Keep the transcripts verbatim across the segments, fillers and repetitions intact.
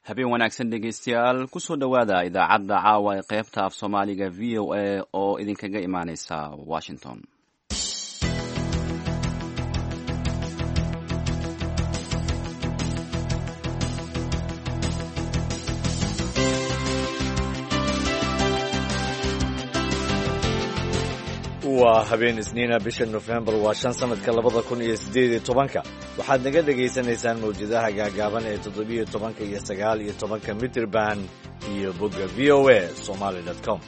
Habeen wanaagsan, dhegaystayaal. Kusoo dhowaada idaacadda caawa ee qaybta af Soomaaliga V O A oo idinkaga imaaneysa Washington. Waa habeen Isniina, bisha Nofembar waa shan, sanadka labada kun iyo siddeed iyo tobanka. Waxaad naga dhagaysanaysaan mawjadaha gaagaaban ee toddobiyo tobanka iyo sagaal iyo tobanka mitirban iyo bogga V O A Somali com.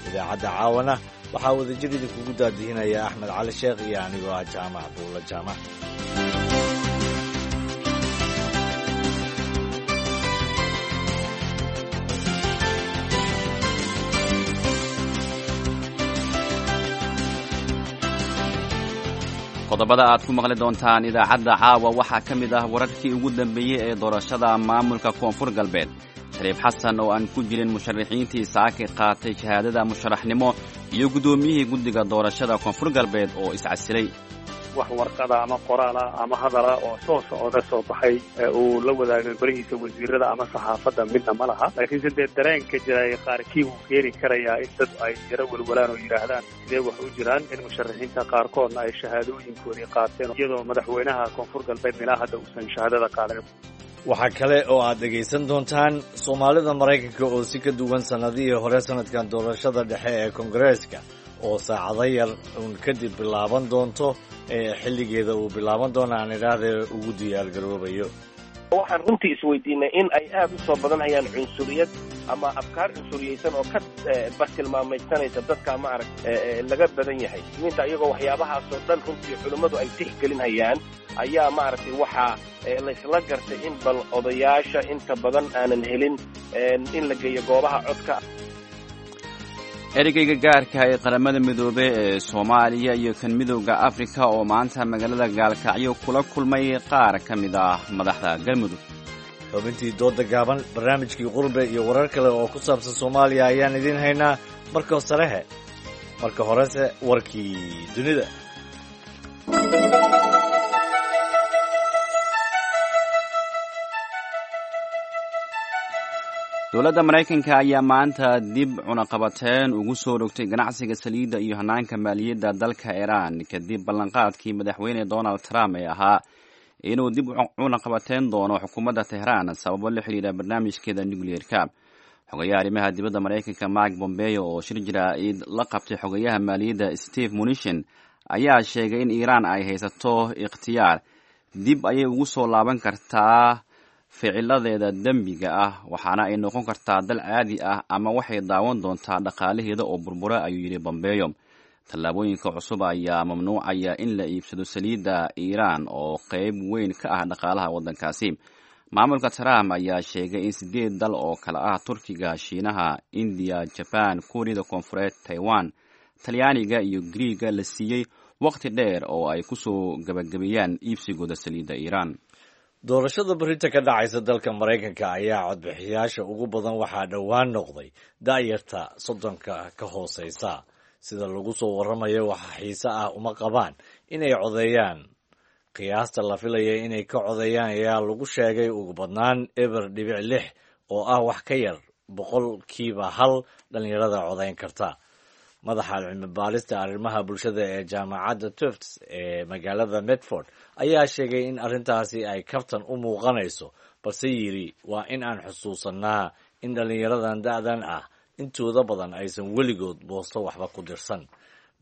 Idaacadda caawana waxaa wadajir idinkugu daadihinaya Axmed Cali Sheekh iyo anigoo ah Jaamac Buulla Jaamac. Qodobada aad ku maqli doontaan idaacadda caawa waxaa ka mid ah wararkii ugu dambeeyey ee doorashada maamulka Koonfur Galbeed, Shariif Xasan oo aan ku jirin musharaxiintii saaki qaatay shahaadada musharaxnimo, iyo guddoomiyihii guddiga doorashada Koonfur Galbeed oo iscasilay. Wax warqada ama qoraala ama hadala oo soo socda soo baxay uu la wadaagay barihiisa wasiirada ama saxaafadda midna ma laha, laakiinse dee dareenka jiray qaarkii wuu keeni karayaa in dad ay yaro welwalaan oo yidhaahdaan sidee wax u jiraan, in musharaxiinta qaarkoodna ay shahaadooyinkoodii qaateen iyadoo madaxweynaha Koonfur Galbeed ilaa hadda uusan shahaadada qaadan. Waxaa kale oo aad dhegaysan doontaan Soomaalida Maraykanka oo si ka duwan sannadihii hore sanadkan doorashada dhexe ee Koongareeska oo saacado yar uun kadib bilaaban doonto, ee xilligeeda uu bilaaban doono aan idhaahdee, ugu diyaargaroobayo. Waxaan runtii isweydiinay in ay aad u soo badanayaan cunsuriyad ama afkaar cunsuriyeysan oo ka bartilmaamaysanaysa dadka ma arag laga badan yahay muslimiinta, iyagoo waxyaabahaasoo dhan runtii culimmadu ay tixgelinayaan ayaa maaragtay waxaa laysla gartay in bal odayaasha inta badan aanan helin in la geeyo goobaha codka. Ereyga gaarka ee Qaramada Midoobey ee Soomaaliya iyo kan Midowda Afrika oo maanta magaalada Gaalkacyo kula kulmay qaar ka mid ah madaxda Galmudug. Xubintii dooda gaaban, barnaamijkii Qurbe iyo warar kale oo ku saabsan Soomaaliya ayaan idiin haynaa. Marka sarehe marka horese warkii dunida. Dowladda Maraykanka ayaa maanta dib cunaqabateen ugu soo rogtay ganacsiga saliidda iyo hanaanka maaliyadda dalka Iiraan, kadib ballanqaadkii madaxweyne Donald Trump ee ahaa inuu dib cunaqabateen doono xukuumadda Tehraan sababo la xidhiira barnaamijkeeda nucleerka. Xogayaha arrimaha dibadda Maraykanka Mike Pompeo oo shir jaraa'id la qabtay xogayaha maaliyadda Steve Mnuchin ayaa sheegay in Iiraan ay haysato ikhtiyaar: dib ayay ugu soo laaban kartaa ficiladeeda dembiga ah, waxaana ay noqon kartaa dal caadi ah, ama waxay daawan doontaa dhaqaalaheeda oo burbura, ayuu yidhi Pompeo. Tallaabooyinka cusub ayaa mamnuucaya in la iibsado saliidda Iiraan oo qeyb weyn ka ah dhaqaalaha waddankaasi. Maamulka Trump ayaa sheegay in sideed dal oo kale ah Turkiga, Shiinaha, Indiya, Jabaan, Kuuriyada Koonfureed, Taiwan, Talyaaniga iyo Griiga la siiyey waqti dheer oo ay kusoo gabagabeeyaan iibsigooda saliidda Iiraan. Doorashada berita ka dhacaysa dalka Maraykanka ayaa codbixiyaasha ugu badan waxaa dhowaan noqday da'yarta soddonka ka hooseysa. Sida lagu soo warramayo, waxa xiise ah uma qabaan inay codeeyaan. Qiyaasta la filaya inay ka codeeyaan ayaa lagu sheegay ugu badnaan eber dhibic lix, oo ah wax ka yar boqolkiiba hal dhallinyarada codeyn karta. Madaxa cilmi baarista arrimaha bulshada ee jaamacadda Tufts ee magaalada Medford ayaa sheegay in arrintaasi ay kaftan u muuqanayso, balse yidhi waa in aan xusuusanaa in dhallinyaradan da'dan ah intooda badan aysan weligood boosto waxba ku dirsan.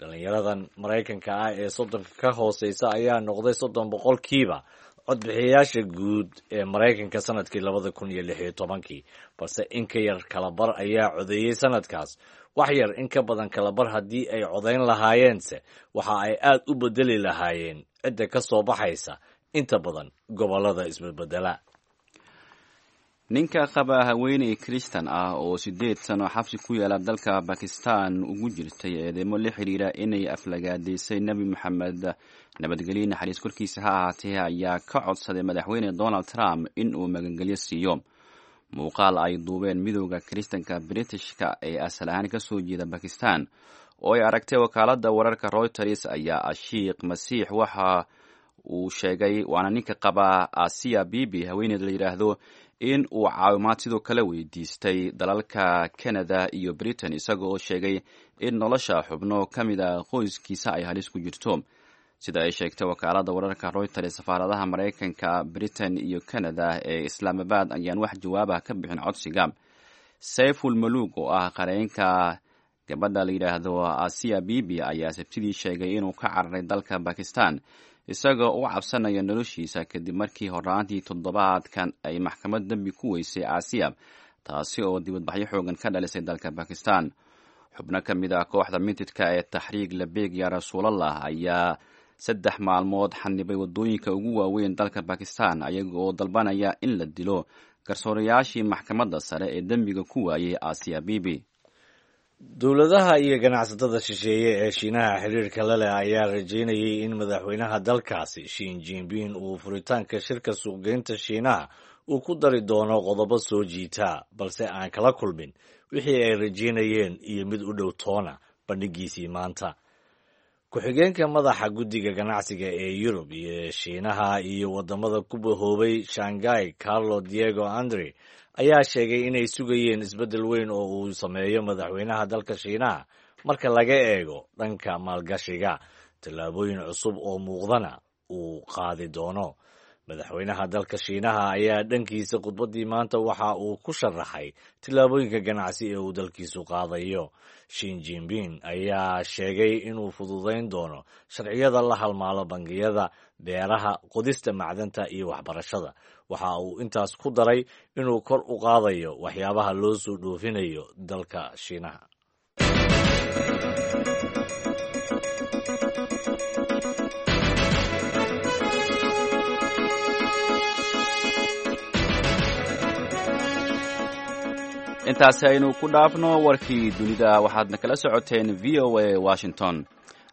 Dhallinyaradan Maraykanka ah ee soddonka ka hooseysa ayaa noqday soddon boqolkiiba codbixiyayaasha guud ee Maraykanka sanadkii labada kun iyo lix iyo tobankii, balse in ka yar kalabar ayaa codeeyey sanadkaas. Wax yar in ka badan kalabar haddii ay codayn lahaayeense, waxa ay aad u bedeli lahaayeen cidda ka soo baxaysa inta badan gobollada isbedbedela. Ninka qaba haweeney Kristan ah oo siddeed sano xabsi ku yaala dalka Bakistan ugu jirtay eedeymo la xiriira inay aflagaadaysay Nebi Moxamed, nabadgelyo naxariis korkiisa ha ahaatee, ayaa ka codsaday madaxweyne Donald Trump in uu magangelyo siiyo. Muuqaal ay duubeen Midowda Kiristanka Britishka ee asal ahaan ka soo jeeda Bakistan oo ay aragtay wakaaladda wararka Reuters ayaa Ashiiq Masiix waxa uu sheegay, waana ninka qaba Asiya Bibi haweeneed la yidhaahdo, in uu caawimaad sidoo kale weydiistay dalalka Canada iyo Britain, isaga oo sheegay in nolosha xubno ka mid a qoyskiisa ay halis ku jirto. Sida ay sheegtay wakaaladda wararka Reuters, safaaradaha Maraykanka, Britain iyo Canada ee Islaamabad ayaan wax jawaabah ka bixin codsiga. Sayful Malug oo ah qareenka gabadha la yidhaahdo Asiya Bibi ayaa Sabtidii sheegay inuu ka cararay dalka Bakistan isagoo u cabsanaya noloshiisa kadib markii horaantii toddobaadkan ay maxkamad dembi ku weysay Asiya, taasi oo dibadbaxyo xoogan ka dhalisay dalka Bakistan. Xubno ka mid ah kooxda mintidka ee Taxriig Labeeg Ya Rasuulallah ayaa saddex maalmood xanibay waddooyinka ugu waaweyn dalka Bakistan, ayaga oo dalbanaya in la dilo garsoorayaashii maxkamadda sare ee dembiga ku waayey Asiya Bibi. Dowladaha iyo ganacsatada shisheeye ee Shiinaha xiriirka la leh ayaa rajeynayay in madaxweynaha dalkaasi Shin Jinping uu furitaanka shirka suuqgeynta Shiinaha uu ku dari doono qodobo soo jiita, balse aan kala kulmin wixii ay rajeynayeen iyo mid u dhow toona bandhigiisii maanta. Ku-xigeenka madaxa guddiga ganacsiga ee Yurub iyo Shiinaha iyo waddamada ku bahoobay Shanghai, Carlo Diego Andre, ayaa sheegay inay sugayeen isbeddel weyn oo uu sameeyo madaxweynaha dalka Shiinaha marka laga eego dhanka maalgashiga, tallaabooyin cusub oo muuqdana uu qaadi doono. Madaxweynaha dalka Shiinaha ayaa dhankiisa khudbaddii maanta waxa uu ku sharaxay tillaabooyinka ganacsi ee uu dalkiisu qaadayo. Shin Jinping ayaa sheegay inuu fududayn doono sharciyada la halmaalo bangiyada, beeraha, qodista macdanta iyo waxbarashada. Waxa uu intaas ku daray inuu kor u qaadayo waxyaabaha loo soo dhoofinayo dalka Shiinaha. Intaasi aynu ku dhaafno warkii dunida, waxaadna kala socoteen V O A Washington.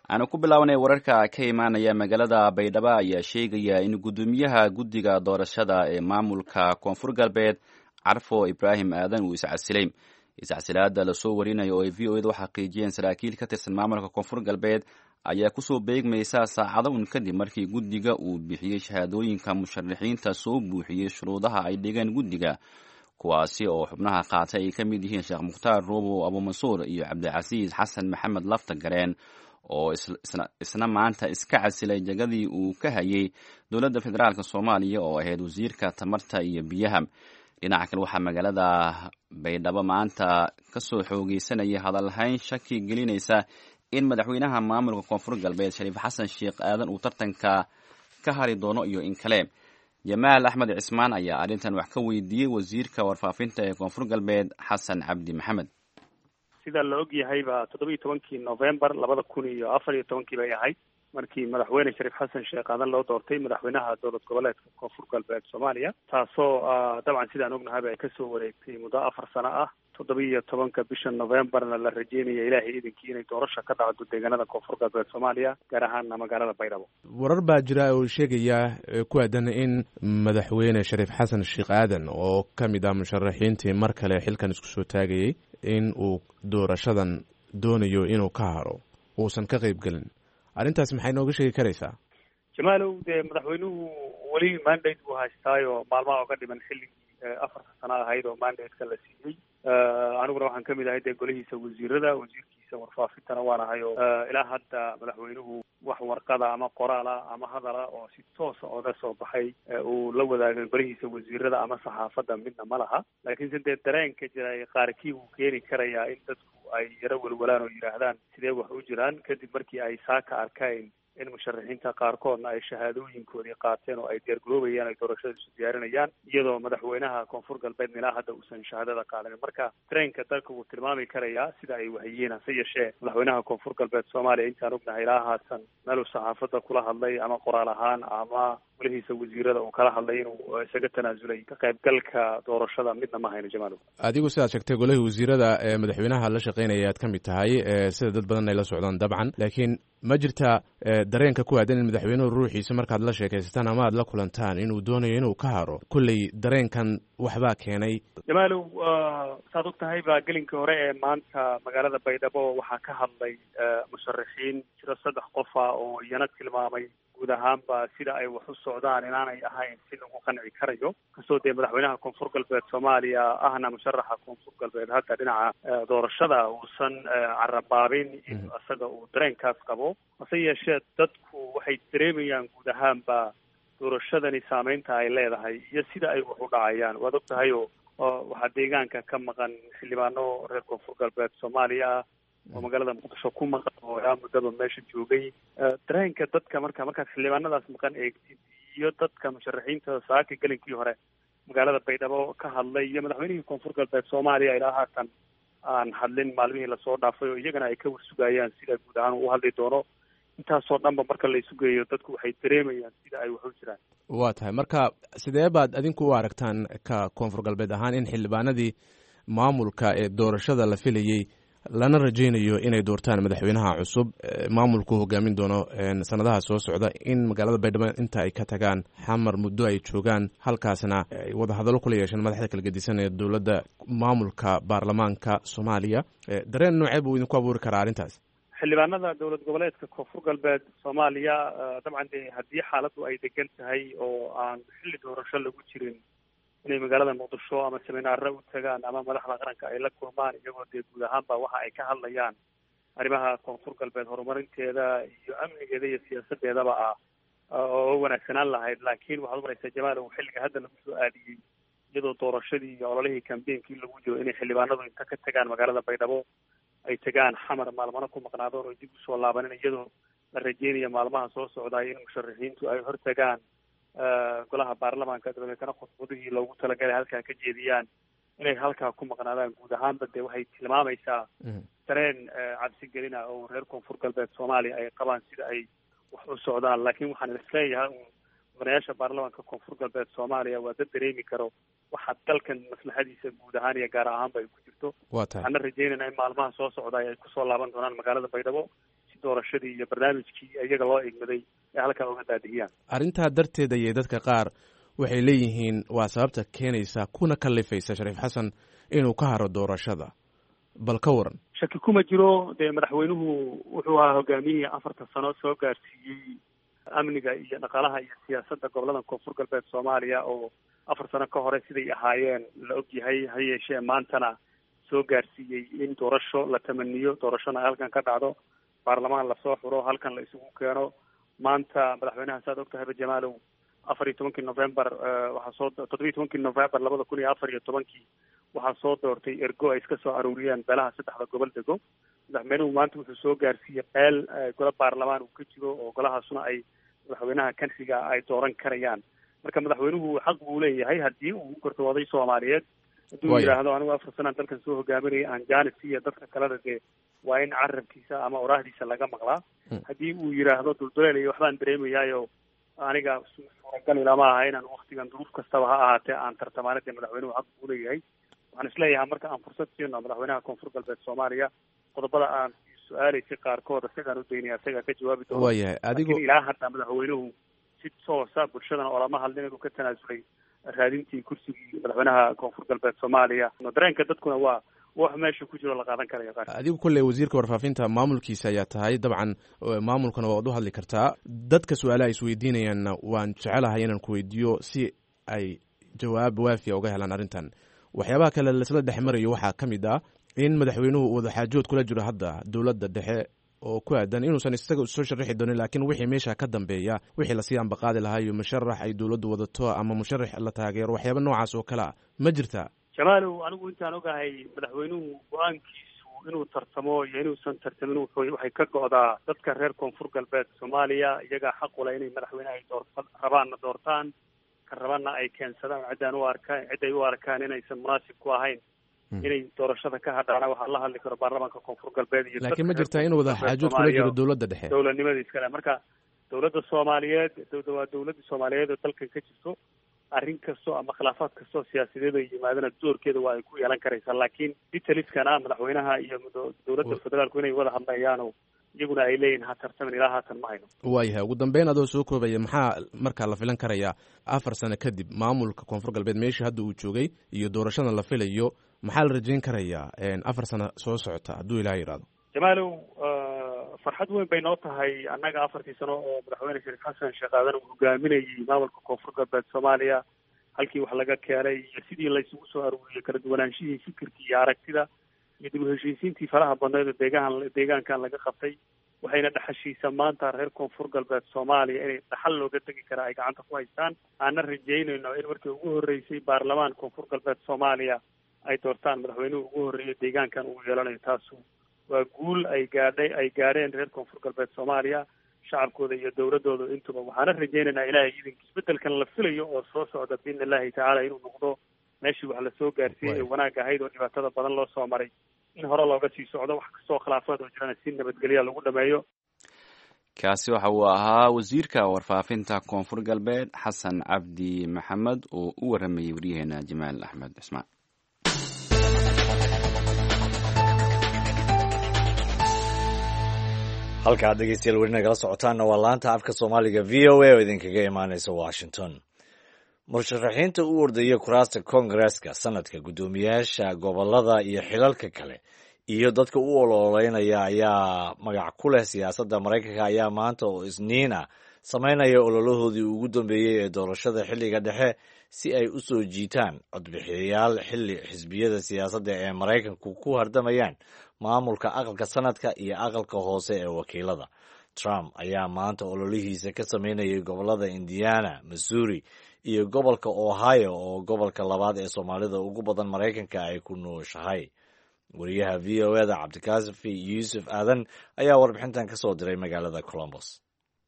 Aanu ku bilownay wararka ka imaanaya magaalada Baydhabo ayaa sheegaya in guddoomiyaha guddiga doorashada ee maamulka Koonfur Galbeed, Carfo Ibraahim Aadan, uu iscasilay. Iscasilaada lasoo warinayo oo ay V O eda u xaqiijiyeen saraakiil ka tirsan maamulka Koonfur Galbeed ayaa kusoo beegmaysa saacado un kadib markii guddiga uu bixiyey shahaadooyinka musharaxiinta soo buuxiyey shuruudaha ay dhigeen guddiga, kuwaasi oo xubnaha qaatay ay ka mid yihiin Sheekh Mukhtaar Ruubow Abuumansuur iyo Cabdicasiis Xasan Maxamed Lafta Gareen, oo isna maanta iska casilay jagadii uu ka hayay dowladda federaalk Soomaaliya oo ahayd wasiirka tamarta iyo biyaha. Dhinaca kale, waxaa magaalada Baydhabo maanta kasoo xoogeysanaya hadalhayn shaki gelinaysa in madaxweynaha maamulka Koonfur Galbeed Shariif Xasan Sheekh Aadan uu tartanka ka hari doono iyo in kale. Jamaal Axmed Cismaan ayaa arrintan wax ka weydiiyey wasiirka warfaafinta ee Koonfur Galbeed, Xasan Cabdi Maxamed. Sida la og yahayba toddoba iyo tobankii November labada kun iyo afar iyo tobankii bay ahayd markii madaxweyne Shariif Xasan Sheekh Aadan loo doortay madaxweynaha dowlad goboleedka Koonfur Galbeed Soomaaliya, taasoo dabcan sidaan ognahayba ay kasoo wareegtay muddo afar sano ah. Toddoba iyo tobanka bisha Novemberna la rajeynaya ilaahay idinkii inay doorasha ka dhacdo deegaanada Koonfur Galbeed Soomaaliya, gaar ahaana magaalada Baydhabo. Warar baa jira oo sheegaya ku aadan in madaxweyne Shariif Xasan Sheekh Aadan oo ka mid ah musharaxiintii mar kale xilkan isku soo taagayay in uu doorashadan doonayo inuu ka haro, uusan ka qayb gelin. Arrintaas maxay nooga sheegi karaysaa? Jamaalow, dee madaxweynuhu weli mandate buu haystaayo maalmaha oga dhiman xilligii afarta sano ahayd oo mandate-ka la siiyey. Aniguna waxaan kamid ahay dee golihiisa wasiirada, wasiirkiisa warfaafintana waan ahay oo ilaa hadda madaxweynuhu wax warqada ama qoraala ama hadala oo si toosa oga soo baxay uu la wadaagay golihiisa wasiirada ama saxaafadda midna ma laha. Laakiinse dee dareenka jira qaarkii wuu keeni karayaa in dadku ay yaro welwalaan oo yidhaahdaan sidee wax u jiraan, kadib markii ay saaka arkeen in musharaxiinta qaarkoodna ay shahaadooyinkoodii qaateen oo ay diyaargaroobayaan, ay doorashada isu diyaarinayaan, iyadoo madaxweynaha Koonfur Galbeedna ilaa hadda uusan shahaadada qaadanin. Marka dareenka dalka wuu tilmaami karayaa sida ay wahayihiin. Hase yeeshee madaxweynaha Koonfur Galbeed Soomaaliya intaan ognahay ilaa haatan meeluu saxaafadda kula hadlay ama qoraal ahaan ama golihiisa wasiirada uu kala hadlay inuu isaga tanaasulay ka qaybgalka doorashada midna ma hayno. Jamaalow, adigu sidaad sheegtay golihii wasiirada ee madaxweynaha la shaqeynaya aad ka mid tahay, sida dad badan ay la socdaan dabcan, laakiin ma jirtaa dareenka ku aadan in madaxweynuhu ruuxiisa markaad la sheekaysataan ama aad la kulantaan inuu doonayo inuu ka haro? Kolley dareenkan waxbaa keenay. Jamaalow, saad og tahay baa gelinkii hore ee maanta magaalada Baydhabo waxaa ka hadlay musharaxiin jiro saddex qofa oo iyana tilmaamay Guud ahaanba sida ay wax u socdaan inaanay ahayn si lagu qanci karayo, kastoo dee madaxweynaha Koonfur Galbeed Soomaaliya ahna musharaxa Koonfur Galbeed hadda dhinaca doorashada uusan carabaabin in isaga uu dareenkaas qabo. Hase yeeshee dadku waxay dareemayaan guud ahaanba doorashadani saameynta ay leedahay iyo sida ay wax u dhacayaan. Waad og tahay oo waxaa deegaanka ka maqan xildhibaano reer Koonfur Galbeed Soomaaliya ah oo magaalada Muqdisho ku maqan oo ilaa muddaba meesha joogay. Dareenka dadka marka markaad xildhibaanadaas maqan eegtid iyo dadka musharaxiinta saaka gelinkii hore magaalada Baydhabo ka hadlay iyo madaxweynihii Koonfur Galbeed Soomaaliya ilaa haatan aan hadlin maalmihii lasoo dhaafay oo iyagana ay ka warsugayaan sida guud ahaan uu hadli doono. Intaasoo dhanba marka la isu geeyo dadku waxay dareemayaan sida ay wax u jiraan. Waa tahay. Marka sidee baad adinku u aragtaan ka Koonfur Galbeed ahaan in xildhibaanadii maamulka ee doorashada la filayey lana rajaynayo inay doortaan madaxweynaha cusub maamulku hogaamin doono sanadaha soo socda in magaalada Baydhabo inta ay ka tagaan Xamar muddo ay joogaan, halkaasna ay wadahadallo kula yeesheen madaxda kala gedisan ee dowladda maamulka baarlamaanka Soomaaliya? Dareen noocee buu idinku abuuri karaa arrintaas? Xildhibaanada dowlad goboleedka Koonfur Galbeed Soomaaliya dabcan dee haddii xaaladdu ay degan tahay oo aan xilli doorasho lagu jirin inay magaalada Muqdisho ama seminaaro u tagaan ama madaxda qaranka ay la kulmaan, iyagoo dee guud ahaanba waxa ay ka hadlayaan arrimaha Koonfur Galbeed horumarinteeda iyo amnigeeda iyo siyaasadeedaba ah oo wanaagsanaan lahayd. Laakiin waxaad umaraysaa Jamaal, uu xilliga hadda lagu soo aadiyey iyadoo doorashadii iyo ololihii kambeynkii lagu jiro inay xildhibaanadu inta ka tagaan magaalada Baydhabo ay tagaan Xamar maalmana ku maqnaadoon oo dib usoo laabanin, iyadoo la rajeynayo maalmaha soo socdaay in musharaxiintu ay hor tagaan golaha baarlamaanka, dabadeetana khudbadihii loogu talagalay halkaa ka jeediyaan, inay halkaa ku maqnaadaan. Guud ahaanba dee waxay tilmaamaysaa dareen cabsigelina oo reer Koonfur Galbeed Soomaaliya ay qabaan sida ay wax u socdaan. Laakiin waxaan isleeyahay uun mudanayaasha baarlamaanka Koonfur Galbeed Soomaaliya waa dad dareemi karo waxa dalkan maslaxadiisa guud ahaan iyo gaar ahaanba ay ku jirto. Waxaana rajeynayna in maalmaha soo socdaay ay kusoo laaban doonaan magaalada Baydhabo si doorashadii iyo barnaamijkii iyaga loo igmaday ay halkaa uga daadihiyaan. Arrintaa darteed ayay dadka qaar waxay leeyihiin waa sababta keenaysa kuna kalifaysa Shariif Xasan inuu ka haro doorashada. Bal ka waran? Shaki kuma jiro dee madaxweynuhu wuxuu ahaa hogaamiyihii afartan sano soo gaarsiiyey amniga iyo dhaqaalaha iyo siyaasadda gobolada Koonfur Galbeed Soomaaliya oo afar sano ka hore siday ahaayeen la ogyahay, ha yeeshee maantana soo gaarsiiyey in doorasho la tamaniyo, doorashona ay halkan ka dhacdo, baarlamaan lasoo xuro, halkan la isugu keeno. Maanta madaxweynaha saad ogtahayba Jamaalow, afar iyo tobankii November waxaa soo toddobiyo tobankii November labada kun iyo afar iyo tobankii waxaa soo doortay ergo ay iska soo aruuriyeen beelaha saddexda gobol dego. Madaxweynuhu maanta wuxuu soo gaarsiiyey qeel golo baarlamaan uu ka jiro oo golahaasuna ay madaxweynaha kanxiga ay dooran karayaan. Marka madaxweynuhu xaq buu leeyahay haddii uu gorto oday Soomaaliyeed hadduu yidhaahdo anigu afar sanaan dalkan soo hogaaminaya aan jaanis iyo dadka kalena dee waa in carabkiisa ama oraahdiisa laga maqlaa. Haddii uu yidhaahdo dulduleel iyo waxbaan dareemayaayo aniga suuragal ilama aha inaan waktigan duruuf kastaba ha ahaatee aan tartamaana, dee madaxweynuhu xaq buu leeyahay. Waxaan isleeyahay marka aan fursad siino madaxweynaha Koonfur Galbeed Soomaaliya qodobada aan su-aalaysay qaarkood isagaan u daynaya, isagaa ka jawaabi doono. Waayahay. Adigu ilaa hadda madaxweynuhu si toosa bulshadana olama hadlin inuu ka tanaasulay raadintii kursigii madaxweynaha Koonfur Galbeed Soomaaliya. Dareenka dadkuna waa wax meesha ku jiro la qaadan karayo qaar. Adigu kolley wasiirka warfaafinta maamulkiisa ayaa tahay, dabcan maamulkana waad u hadli kartaa. Dadka su-aalaha isweydiinayaanna waan jecelahay inaan ku weydiiyo si ay jawaab waafiya uga helaan arrintan. Waxyaabaha kale laisla dhex marayo waxaa ka mid ah in madaxweynuhu uu wadaxaajood kula jiro hadda dowladda dhexe oo ku aadan inuusan isaga soo sharaxi doonin, laakiin wixii meesha ka dambeeya wixii lasii ambaqaadi lahaa iyo musharax ay dowladdu wadato ama musharax la taageero, waxyaaba noocaas oo kale a ma jirtaa? Jamaalow, anigu intaan ogahay madaxweynuhu go-aankiisu inuu tartamo iyo inuusan tartamin wuxuu waxay ka go'daa dadka reer Koonfur Galbeed Soomaaliya. Iyagaa xaq u leh inay madaxweynaha ay door rabaanna doortaan, ka rabaanna ay keensadaan ciddaan u arkaan cid ay u arkaan inaysan munaasib ku ahayn inay doorashada ka hadhaana. Waxaa la hadli karo baarlamaanka Koonfur Galbeed iyo laakiin ma jirtaa inuu wada xaajood kula jiro dowladda dhexe dowladnimada iskale. Marka dowladda Soomaaliyeed waa dowladda Soomaaliyeed oo dalkan ka jirto, arrin kasto ama khilaafaad kastoo siyaasadeed ay yimaadana doorkeeda waa ay ku yeelan karaysaa. Laakiin detaliskana madaxweynaha iyo dowladda federaalku inay wada hadlayaano iyaguna ay leeyihin ha tartamin ilaa haatan ma hayno. Waayahay. Ugu dambeyn adoo soo koobaya, maxaa markaa la filan karayaa afar sano kadib maamulka Koonfur Galbeed meeshii hadda uu joogay iyo doorashadan la filayo? Maxaa la rajayn karayaa afar sano soo socota hadduu ilaah yidhahdo? Jamaalow, Farxad weyn bay noo tahay annaga afartii sano oo madaxweyne Shariif Xasan Sheekh Aadan uu hogaaminayay maamulka Koonfur Galbeed Soomaaliya, halkii wax laga keenay iyo sidii laysugu soo aruuriyey kala duwanaanshihii fikirkii iyo aragtida iyo dib u heshiisiintii faraha badneed oo deegahan deegaankan laga qabtay, waxayna dhaxashiisa maanta reer Koonfur Galbeed Soomaaliya inay dhaxal looga tegi karaa ay gacanta ku haystaan. Aanna rajaynayno in markii ugu horreysay baarlamaan Koonfur Galbeed Soomaaliya ay doortaan madaxweynuhu ugu horreeya deegaankan uu yeelanayo. Taasu waa guul ay gaadhay ay gaadheen reer Koonfur Galbeed Soomaaliya, shacabkooda iyo dowladooda intuba. Waxaana rajaynaynaa ilaahay idinka isbedelkan la filayo oo soo socda biidni illaahi tacaala inuu noqdo meeshii wax lasoo gaarsiiyey ee wanaag ahayd oo dhibaatada badan loo soo maray in hore looga sii socdo, wax kastoo khilaafaad oo jirana si nabadgelya lagu dhameeyo. Kaasi waxa uu ahaa wasiirka warfaafinta Koonfur Galbeed Xasan Cabdi Maxamed oo u waramayey waryaheena Jamaal Axmed Cismaan. Halka aad dhegeystayaal weli nagala socotaanna waa laanta afka Soomaaliga V O A oo idinkaga imaaneysa Washington. Musharaxiinta u ordaya kuraasta koongareeska, sanadka, guddoomiyaasha gobolada iyo xilalka kale iyo dadka u ololeynaya ayaa magac ku leh siyaasadda Maraykanka ayaa maanta oo Isniin ah sameynaya ololahoodii ugu dambeeyey ee doorashada xilliga dhexe si ay u soo jiitaan codbixiyayaal xilli xisbiyada siyaasadda ee Maraykanku ku hardamayaan maamulka aqalka sanadka iyo aqalka hoose ee wakiilada. Trump ayaa maanta ololihiisa ka sameynayay gobolada Indiana, Missouri iyo gobolka Ohio oo gobolka labaad ee Soomaalida ugu badan Maraykanka ay ku nooshahay. Wariyaha V O E da Cabdikaafi Yuusuf Aadan ayaa warbixintan ka soo diray magaalada Columbus.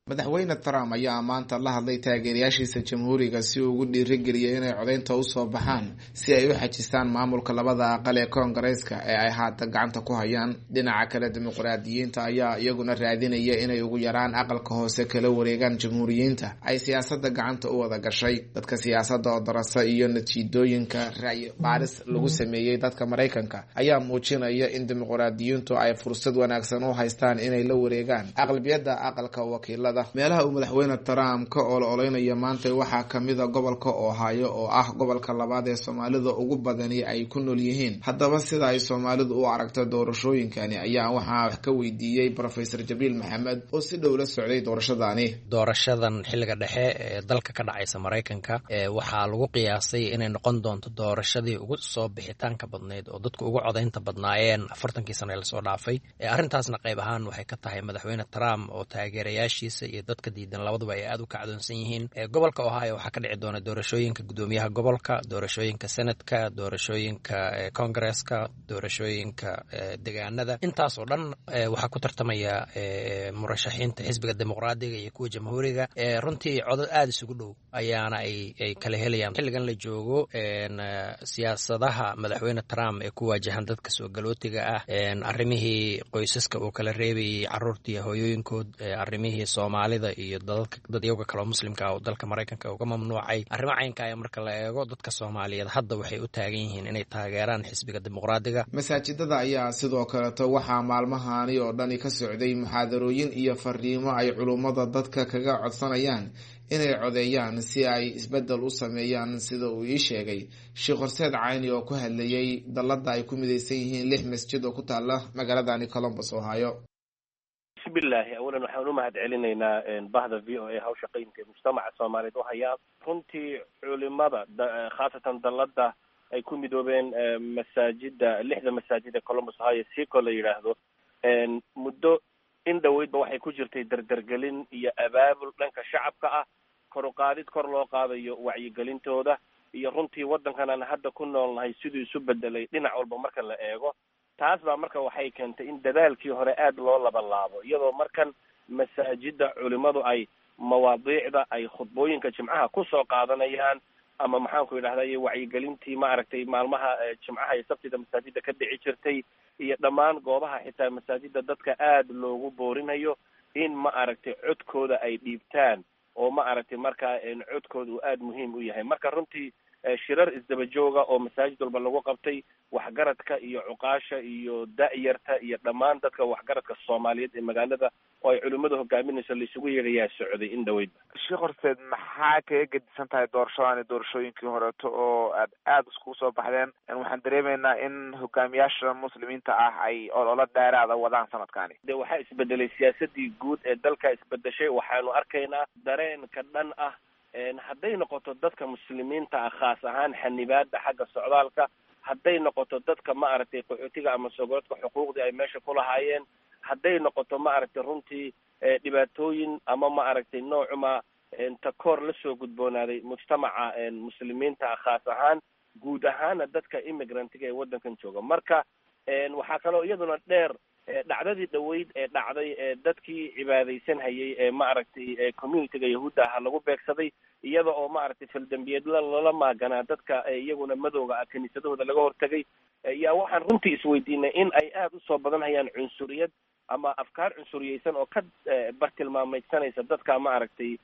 Madaxweyne Trump ayaa maanta la hadlay taageerayaashiisa Jamhuuriga si uu ugu dhiirigeliyay inay codeynta usoo baxaan si ay u xajistaan maamulka labada aqal ee koongareeska ee ay haatan gacanta ku hayaan. Dhinaca kale, dimuqraadiyiinta ayaa iyaguna raadinaya inay ugu yaraan aqalka hoose kala wareegaan Jamhuuriyiinta ay siyaasada gacanta u wada gashay. Dadka siyaasada oo darasa iyo natiijooyinka ra'yi baaris lagu sameeyey dadka Maraykanka ayaa muujinaya in dimuqraadiyiintu ay fursad wanaagsan u haystaan inay la wareegaan aqlabiyada aqalka wakiilada. Meelaha uu madaxweyne Trump ka olo-oleynayo maanta waxaa kamida gobolka Ohio oo ah gobolka labaad ee Soomaalida ugu badani ay ku nool yihiin. Haddaba sida ay Soomaalidu u aragto doorashooyinkani ayaa waxaa wax ka weydiiyey Professor Jabriil Maxamed oo si dhow la socday doorashadani. Doorashadan xilliga dhexe ee dalka ka dhacaysa Maraykanka waxaa lagu qiyaasay inay noqon doonto doorashadii ugu soo bixitaanka badnayd oo dadku ugu codaynta badnaayeen afartankii sano ee lasoo dhaafay. Arrintaasna qayb ahaan waxay ka tahay madaxweyne Trump oo taageerayaashiisa iyo dadka diidan labaduba ay aad u kacdoonsan yihiin. Gobolka Ohio waxaa ka dhici doona doorashooyinka guddoomiyaha gobolka, doorashooyinka senatka, doorashooyinka congresska, doorashooyinka degaanada. Intaas oo dhan waxaa ku tartamaya murashaxiinta xisbiga Dimuqraadiga iyo kuwa Jamhuuriga. Runtii codad aada isugu dhow ayaana ay ay kala helayaan xilligan la joogo. Siyaasadaha madaxweyne Trump ee ku waajahan dadka soo galootiga ah, arrimihii qoysaska uu kala reebayay caruurta iyo hooyooyinkood, arrimihii Soomaalida iyo dadyoga kaleo muslimka ah oo dalka Maraykanka uga mamnuucay, arrimo caynka aya marka la eego, dadka Soomaaliyeed hadda waxay u taagan yihiin inay taageeraan xisbiga Dimuqraadiga. Masaajidada ayaa sidoo kaleeto waxaa maalmahani oo dhani ka socday muxaadarooyin iyo fariimo ay culummada dadka kaga codsanayaan inay codeeyaan si ay isbedel u sameeyaan, sida uu ii sheegay Sheekh Horseed Cayni oo ku hadlayay dallada ay ku mideysan yihiin lix masjid oo ku taala magaaladani Columbus, Ohio. Bismillahi, awalan waxaan u mahad celinaynaa bahda V O A hawsha qaymka ee mujtamaca Soomaaliyeed u hayaa. Runtii culimada, khaasatan dallada ay ku midoobeen masaajida, lixda masaajid ee Columbus, Ohio, siko la yidhaahdo, muddo in dhaweydba waxay ku jirtay dardargelin iyo abaabul dhanka shacabka ah, kor u qaadid kor loo qaadayo wacyigelintooda iyo runtii waddankan aan hadda ku noolnahay siduu isu bedelay dhinac walba marka la eego. Taas baa marka waxay keentay in dadaalkii hore aada loo labalaabo, iyadoo markan masaajida culimadu ay mawaadiicda ay khudbooyinka jimcaha kusoo qaadanayaan ama maxaanku yidhahday wacyigelintii maaragtay maalmaha jimcaha iyo sabtida masaajida ka dhici jirtay iyo dhammaan goobaha xitaa masaajida dadka aada loogu boorinayo in ma aragtay codkooda ay dhiibtaan oo ma aragtay markaa codkooda uu aada muhiim u yahay. Marka runtii Shirar isdaba jooga oo masaajid walba lagu qabtay, waxgaradka iyo cuqaasha iyo da'yarta iyo dhammaan dadka waxgaradka Soomaaliyeed ee magaalada oo ay culimmadu hogaaminayso laisugu yeedhayaa socday in dhaweydba. Sheekh Horseed, maxaa kaga gedisan tahay doorashadani doorashooyinkii horeeto oo aad aada iskugu soo baxdeen? Waxaan dareemaynaa in hogaamiyaasha muslimiinta ah ay ololo dheeraada wadaan sanadkani. De waxaa isbedelay siyaasadii guud ee dalka isbedeshay. Waxaanu arkaynaa dareenka dhan ah hadday noqoto dadka muslimiinta ah, khaas ahaan xanibaada xagga socdaalka, hadday noqoto dadka ma aragtay qaxootiga ama sogoodka xuquuqdii ay meesha ku lahaayeen, hadday noqoto ma aragtay runtii dhibaatooyin ama ma aragtay noocuma takoor lasoo gudboonaaday mujtamaca muslimiinta ah khaas ahaan, guud ahaana dadka immigrantiga ee waddankan jooga. Marka waxaa kaloo iyaduna dheer dhacdadii dhaweyd ee dhacday ee dadkii cibaadaysan hayay ee ma aragtay communityga yahuudda aha lagu beegsaday, iyada oo ma aragtay faldambiyeedla lala maaganaa dadka iyaguna madowga ah kiniisadahooda laga hortagay. Yaa waxaan runtii isweydiinay in ay aada usoo badan hayaan cunsuriyad ama afkaar cunsuriyeysan oo ka bartilmaameydsanaysa dadka ma aragtay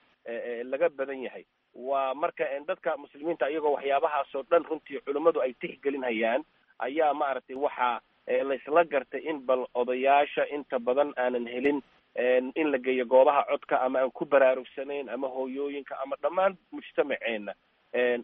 laga badan yahay. Waa marka dadka muslimiinta iyagoo waxyaabahaasoo dhan runtii culimmadu ay tixgelin hayaan ayaa ma aragtay waxaa laysla gartay in bal odayaasha inta badan aanan helin in la geeyo goobaha codka ama aan ku baraarugsanayn ama hooyooyinka ama dhammaan mujtamaceena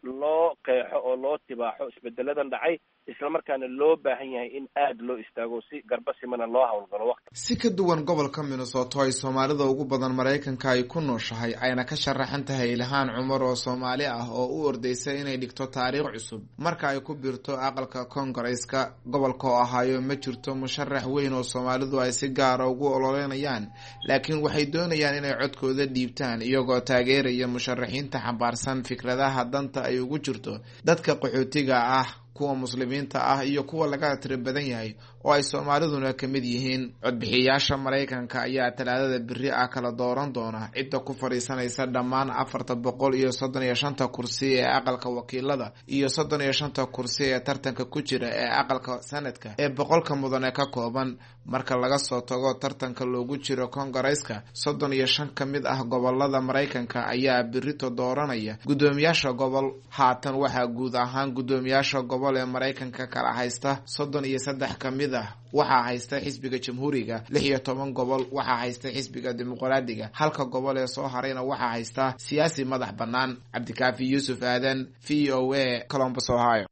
loo qeexo oo loo tibaaxo isbedeladan dhacay, islamarkaana loo baahan yahay in aada loo istaago si garba simana loo howlgalo waqti. Si ka duwan gobolka Minnesota ay soomaalida ugu badan Maraykanka ay ku nooshahay, ayna ka sharaxan tahay Ilhaan Cumar oo Soomaali ah oo u ordeysa inay dhigto taariikh cusub marka ay ku biirto aqalka koongareeska. Gobolka oo Ohio ma jirto musharax weyn oo soomaalidu ay si gaara ugu ololeynayaan, laakiin waxay doonayaan inay codkooda dhiibtaan iyagoo taageeraya musharaxiinta xambaarsan fikradaha danta ay ugu jirto dadka qaxootiga ah, kuwa muslimiinta ah iyo kuwa laga tiro badan yahay oo ay soomaaliduna ka mid yihiin. Codbixiyaasha Maraykanka ayaa talaadada beri ah kala dooran doona cidda ku fadhiisanaysa dhammaan afarta boqol iyo soddon iyo shanta kursi ee aqalka wakiilada iyo soddon iyo shanta kursi ee tartanka ku jira ee aqalka sanadka ee boqolka mudane ka kooban. Marka laga soo tago tartanka loogu jiro koongareeska, soddon iyo shan ka mid ah gobolada Maraykanka ayaa berito dooranaya guddoomiyaasha gobol. Haatan waxaa guud ahaan guddoomiyaasha gobol ee Maraykanka kala haysta soddon iyo saddex ka mid ah waxaa haysta xisbiga Jamhuuriga, lix iyo toban gobol waxaa haysta xisbiga Dimuqraadiga, halka gobol ee soo harayna waxaa haysta siyaasi madax bannaan. Cabdikaafi Yuusuf Aadan, V O A, Columbus, Ohio.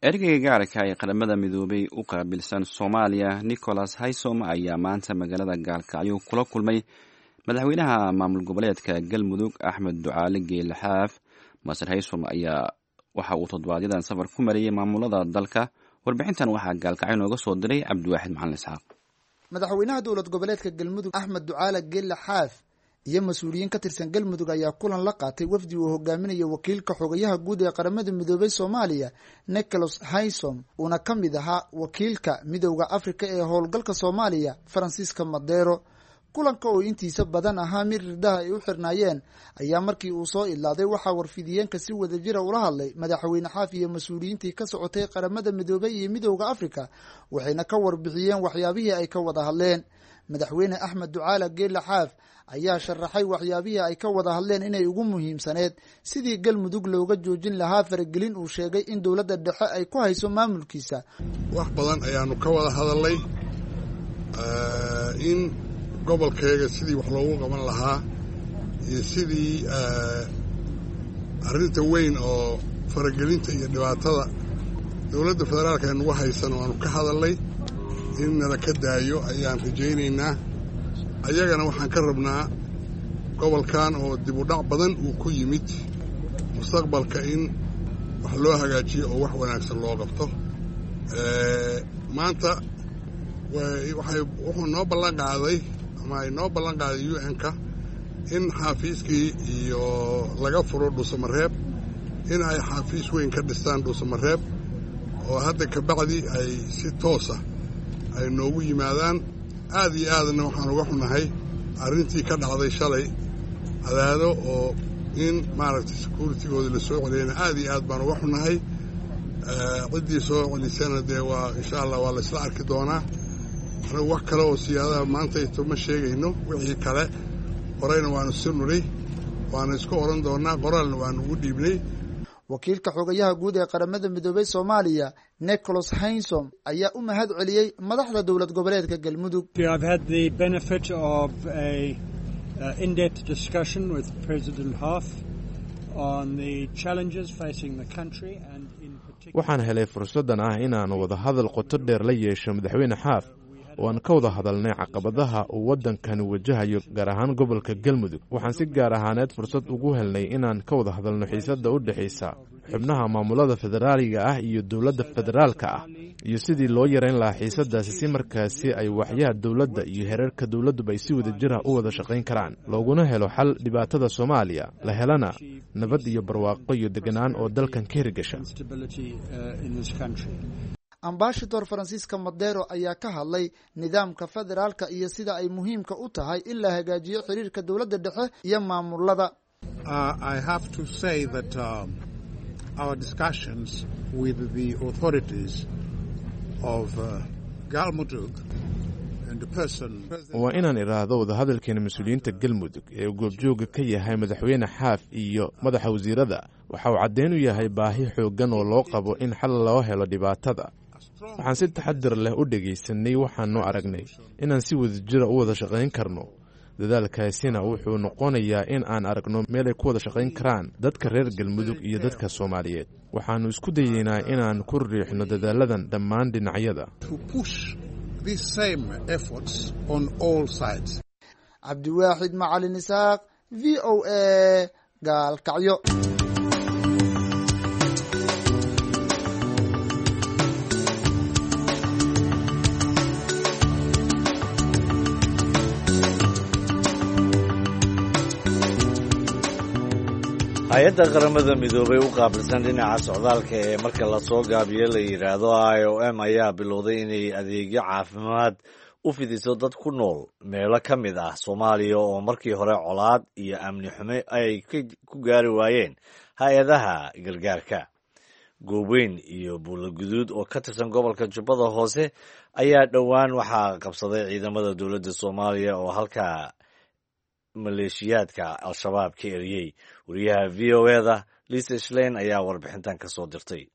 Ergeyga gaarka ee Qaramada Midoobay u qaabilsan Soomaaliya Nicholas Haysom ayaa maanta magaalada Gaalkacyo kula kulmay madaxweynaha maamul goboleedka Galmudug Axmed Ducaale Geele Xaaf. Master Haysom ayaa waxa uu toddobaadyadan safar ku mariyey maamulada dalka. Warbixintan waxaa Gaalkacyo nooga soo diray Cabdiwaaxid Macalin Isxaaq. Madaxweynaha dowlad goboleedka Galmudug Axmed Ducaale Geele Xaaf iyo mas-uuliyiin ka tirsan Galmudug ayaa kulan la qaatay wafdi uu hogaaminayo wakiilka xogayaha guud ee Qaramada Midoobay Soomaaliya Nicholas Haysom, uuna ka mid ahaa wakiilka Midowda Afrika ee howlgalka Soomaaliya Faransiiska Madero. Kulanka oo intiisa badan ahaa mid ridaha ay u xirnaayeen ayaa markii uu soo idlaaday waxaa warfidiyeenka si wadajira ula hadlay madaxweyne Xaaf iyo mas-uuliyiintii ka socotay Qaramada Midoobay iyo Midowda Afrika, waxayna ka warbixiyeen waxyaabihii ay ka wada hadleen. Madaxweyne Axmed Ducaale Geele Xaaf ayaa sharaxay waxyaabihii ay ka wada hadleen inay ugu muhiimsaneed sidii Galmudug looga joojin lahaa faragelin uu sheegay in dowladda dhexe ay ku hayso maamulkiisa. Wax badan ayaanu ka wada hadalnay in gobolkayga sidii wax loogu qaban lahaa iyo sidii arrinta weyn oo faragelinta iyo dhibaatada dowladda federaalka ay nagu haysan waanu ka hadalnay in nala ka daayo ayaan rajaynaynaa. Ayagana waxaan ka rabnaa gobolkan oo dib u dhac badan uu ku yimid mustaqbalka in wax loo hagaajiyo oo wax wanaagsan loo qabto. Maanta waxay wuxuu noo ballan qaaday ama ay noo ballan qaaday U N-ka in xaafiiskii iyo laga furo Dhuusamareeb, in ay xaafiis weyn ka dhistaan Dhuusamareeb oo hadda kabacdi ay si toosa ay noogu yimaadaan. Aad iyo aadna waxaan uga xunahay arrintii ka dhacday shalay Cadaado oo in maaragtay securitigooda la soo celiyana aad iyo aad baan uga xunahay. Ciddii soo celisana dee waa insha allah waa la isla arki doonaa. Anagu wax kale oo siyaadaha maanta ito ma sheegayno. Wixii kale horeyna waanu si nuri, waanu isku oran doonaa, qoraalna waanu ugu dhiibnay. Wakiilka xogayaha guud ee Qaramada Midoobay Soomaaliya Nicholas Hainsom ayaa u mahad celiyey madaxda dowlad goboleedka Galmudug. In-depth discussion with President Hoff on the challenges facing the country and in particular. Waxaan helay fursaddan ah inaan wadahadal qoto dheer la yeesho Madaxweyne Xaaf oo aan ka wada hadalnay caqabadaha uu waddankani wajahayo, gaar ahaan gobolka Galmudug. Waxaan si gaar ahaaneed fursad ugu helnay inaan ka wada hadalno xiisadda u dhexaysa xubnaha maamulada federaaliga ah iyo dowladda federaalka ah iyo sidii loo yareyn lahaa xiisadaasi, si markaasi ay waxyaha dowladda iyo heerarka dowladduba ay si wada jir ah u wada shaqayn karaan, looguna helo xal dhibaatada Soomaaliya, la helana nabad iyo barwaaqo iyo deganaan oo dalkan ka hirgasha. Ambashador Francisco Madero ayaa ka hadlay nidaamka federaalka iyo sida ay muhiimka u tahay in la hagaajiyo xiriirka dowladda dhexe iyo maamulada. Our discussions with the authorities of uh, Galmudug and the person. Waa inaan idhaahdo wadahadalkeena mas-uuliyiinta Galmudug ee uu goobjooga ka yahay Madaxweyne Xaaf iyo madaxa wasiirada waxa uu caddeyn u yahay baahi xooggan oo loo qabo in xal loo helo dhibaatada. Waxaan si taxadir leh u dhegaysanay, waxaanu aragnay inaan si wadajira u wada shaqayn karno. Dadaalkaasina wuxuu noqonayaa in aan aragno meel ay ku wada shaqayn karaan dadka reer Galmudug iyo dadka Soomaaliyeed. Waxaannu isku dayeynaa inaan ku riixno dadaaladan dhammaan dhinacyada. Cabdiwaaxid Macalin Isaaq, V O A, Gaalkacyo. Hay-adda Qaramada Midoobay u qaabilsan dhinaca socdaalka ee marka lasoo gaabiyo la yidhaahdo I O M ayaa bilowday inay adeegyo caafimaad u fidiso dad ku nool meelo ka mid ah Soomaaliya oo markii hore colaad iyo amni xume ay ku gaari waayeen hay-adaha gargaarka. Gooweyn iyo Buulo Guduud oo ka tirsan gobolka Jubbada Hoose ayaa dhowaan waxaa qabsaday ciidamada dowladda Soomaaliya oo halkaa maleeshiyaadka Al-Shabaab ka eriyey. Wariyaha V O E-da Lisa Schlein ayaa warbixintan ka soo dirtay.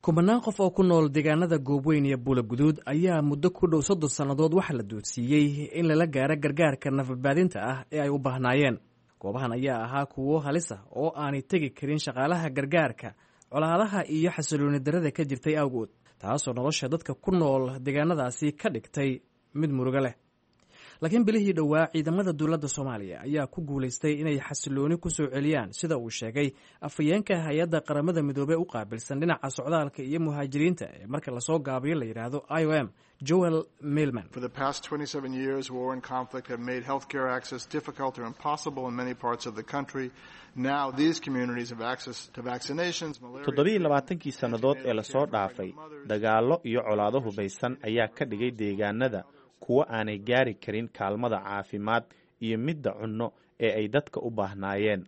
Kumanaan qof oo ku nool deegaanada Goobweyn iyo Buula Guduud ayaa muddo ku dhow soddon sannadood waxaa la duudsiiyey in lala gaaro gargaarka nafadbaadinta ah ee ay u baahnaayeen. Goobahan ayaa ahaa kuwo halis ah oo aanay tegi karin shaqaalaha gargaarka, colaadaha iyo xasilooni darada ka jirtay awgood, taasoo nolosha dadka ku nool deegaanadaasi ka dhigtay mid murugo leh. Laakiin bilihii dhowaa ciidamada dowladda Soomaaliya ayaa ku guulaystay inay xasilooni ku soo celiyaan, sida uu sheegay afhayeenka hay-adda Qaramada Midoobey u qaabilsan dhinaca socdaalka iyo muhaajiriinta ee marka lasoo gaabiyo la yidhaahdo I O M, Joel Milman. For the past twenty-seven years, war and conflict have made healthcare access difficult or impossible in many parts of the country. Now these communities have access to vaccinations. Toddobiiyo labaatankii sannadood ee lasoo dhaafay, dagaallo iyo colaado hubaysan ayaa ka dhigay deegaanada kuwo aanay gaari karin kaalmada caafimaad iyo midda cunno ee ay dadka u baahnaayeen.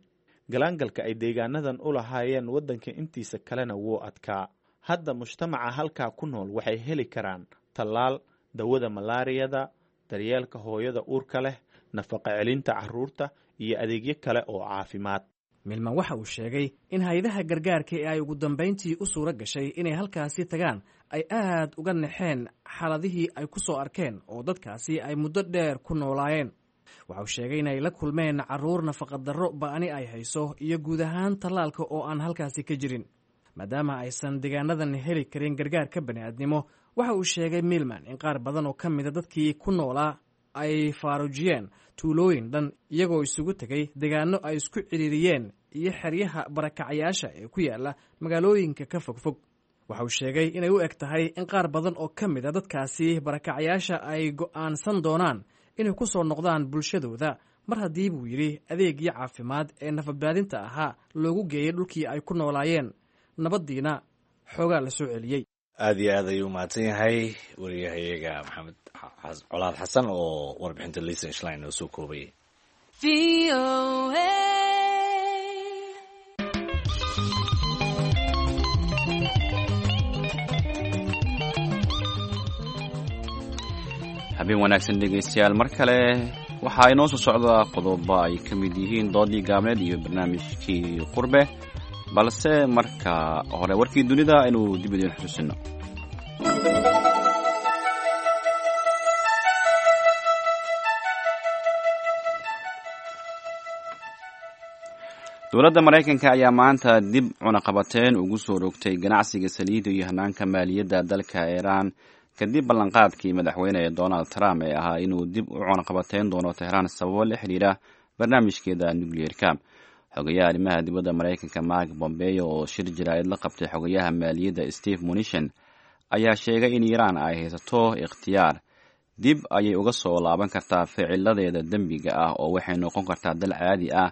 Galaangalka ay deegaanadan u lahaayeen waddanka intiisa kalena wuu adkaa. Hadda mujtamaca halkaa ku nool waxay heli karaan tallaal, dawada malaariyada, daryeelka hooyada uurka leh, nafaqa celinta carruurta iyo adeegyo kale oo caafimaad. Milman waxa uu sheegay in hay-adaha gargaarka ee ay ugu dambayntii u suura gashay inay halkaasi tagaan ay aad uga naxeen xaaladihii ay ku soo arkeen oo dadkaasi ay muddo dheer ku noolaayeen. Waxa uu sheegay inay la kulmeen carruur nafaqadarro ba'ani ay hayso iyo guud ahaan tallaalka oo aan halkaasi ka jirin. Maadaama aysan deegaanadan heli karin gargaarka bani'aadnimo, waxa uu sheegay Milman in qaar badan oo ka mida dadkii ku noolaa ay faaruujiyeen tuulooyin dhan, iyagoo isugu tegay deegaano ay isku cidhiiriyeen iyo xeryaha barakacayaasha ee ku yaala magaalooyinka ka fogfog. Waxa uu sheegay inay u eg tahay in qaar badan oo ka mid a dadkaasi barakacayaasha ay go'aansan doonaan inay ku soo noqdaan bulshadooda mar haddii, buu yidhi, adeegii caafimaad ee nafadbaadinta ahaa loogu geeyey dhulkii ay ku noolaayeen, nabaddiina xoogaa la soo celiyey. Aad iyo aad ayuu umahadsan yahay wariyahayaga Maxamed Colaad Xasan oo warbixinta Lisa Schlein oo soo koobayay. Habeen wanaagsan dhegaystayaal, mar kale waxaa inoo soo socda qodobo ay ka mid yihiin doodii gaabneed iyo barnaamijkii qurbe, balse marka hore warkii dunida aynu dib idiin xusuusino. Dowladda Maraykanka ayaa maanta dib cunaqabateen ugu soo rogtay ganacsiga saliidda iyo hanaanka maaliyadda dalka Iiraan kadib ballanqaadkii madaxweyne Donald Trump ee ahaa inuu dib u cunaqabateyn doono Tehraan sababo la xidhiira barnaamijkeeda nukliyeerka. Xogayaha arrimaha dibadda Maraykanka Mark Bombeo oo shir jaraa'id la qabtay xogayaha maaliyadda Steve Mnuchin ayaa sheegay in Iiraan ay haysato ikhtiyaar. Dib ayay uga soo laaban kartaa ficiladeeda dembiga ah oo waxay noqon kartaa dal caadi ah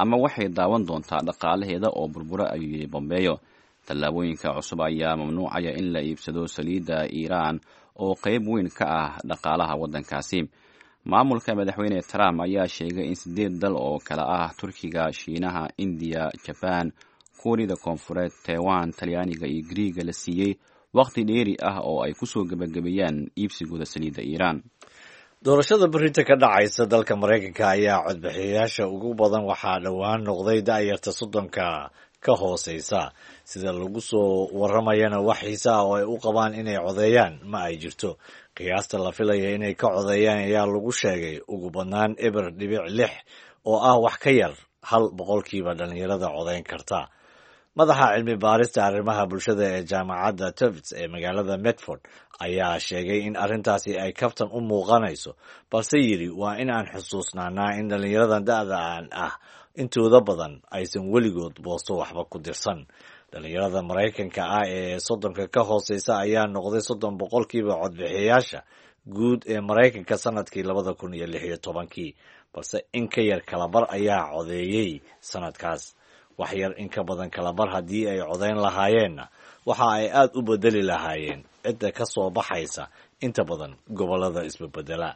ama waxay daawan doontaa dhaqaalaheeda oo burbura, ayuu yidhi Bombeo. Tallaabooyinka cusub ayaa mamnuucaya in la iibsado saliidda Iiraan oo qayb weyn ka ah dhaqaalaha waddankaasi. Maamulka madaxweyne Trump ayaa sheegay in sideed dal oo kale ah Turkiga, Shiinaha, Indiya, Jabaan, Kuuriyada Koonfureed, Taiwan, Talyaaniga iyo Griiga la siiyey waqti dheeri ah oo ay kusoo gebagabeeyaan iibsigooda saliidda Iiraan. Doorashada berrinta ka dhacaysa dalka Maraykanka ayaa codbixiyayaasha ugu badan waxaa dhowaan noqday da'yarta soddonka ka hooseysa. Sida lagu soo waramayana wax xiise ah oo ay u qabaan inay codeeyaan ma ay jirto. Qiyaasta la filaya inay ka codeeyaan ayaa lagu sheegay ugu badnaan eber dhibic lix oo ah wax ka yar hal boqolkiiba dhalinyarada codeyn karta. Madaxa cilmi baarista arrimaha bulshada ee jaamacadda Tufts ee magaalada Medford ayaa sheegay in arrintaasi ay kaftan u muuqanayso, balse yidhi waa in aan xusuusnaanaa in dhallinyaradan da'daan ah intooda badan aysan weligood boosto waxba ku dirsan. Dhallinyarada Maraykanka ah ee soddonka ka hooseysa ayaa noqday soddon boqolkiiba codbixiyayaasha guud ee Maraykanka sanadkii labada kun iyo lix iyo tobankii, balse in ka yar kalabar ayaa codeeyey sanadkaas. Wax yar in ka badan kalabar haddii ay codayn lahaayeenna waxa ay aad u bedeli lahaayeen cidda ka soo baxaysa inta badan gobollada isbedbedela.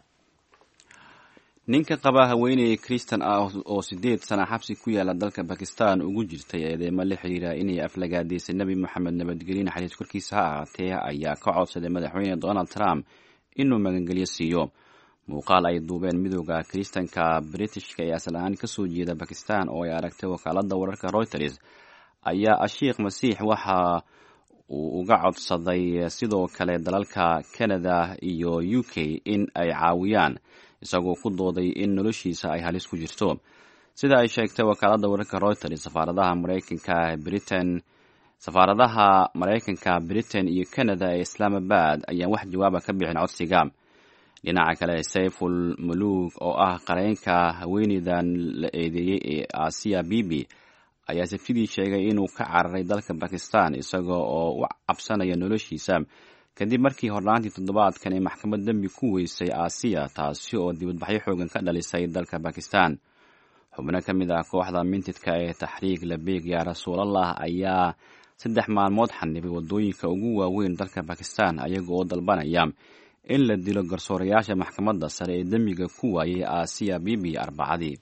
Ninka qaba haweeney Kristan ah oo sideed sana xabsi ku yaala dalka Bakistan ugu jirtay eedeymo la xiriira inay aflagaadaysay Nebi Moxamed nabadgelyo naxariis korkiisa ha ahaatee ayaa ka codsaday madaxweyne Donald Trump inuu magangelyo siiyo. Muuqaal ay duubeen midooda Kiristanka Britishka ee asal ahaan kasoo jeeda Bakistan oo ay aragtay wakaaladda wararka Reuters ayaa Ashiikh Masiix waxa uu uga codsaday sidoo kale dalalka Canada iyo U K in ay caawiyaan, isagoo ku dooday in noloshiisa ay halis ku jirto. Sida ay sheegtay wakaaladda wararka Reuters, safaaradaha Maraykanka Britain safaaradaha Maraykanka Britain iyo Canada ee Islamabad ayaan wax jawaaba ka bixin codsiga. Dhinaca kale, Sayful Muluk oo ah qareenka haweeneydan la eedeeyey ee Aasiya Bibi ayaa sabtidii sheegay inuu ka cararay dalka Bakistan isaga oo u cabsanaya noloshiisa kadib markii hornaantii toddobaadkan ay maxkamad dembi ku weysay Aasiya, taasi oo dibadbaxyo xoogan ka dhalisay dalka Bakistan. Xubno ka mid ah kooxda mintidka ee Taxriik Labeeg yaa Rasuulallah ayaa saddex maalmood xanibay waddooyinka ugu waaweyn dalka Bakistan ayaga oo dalbanaya in la dilo garsoorayaasha maxkamadda sare ee dembiga ku waayay Aasiya Bibi Arbacadii.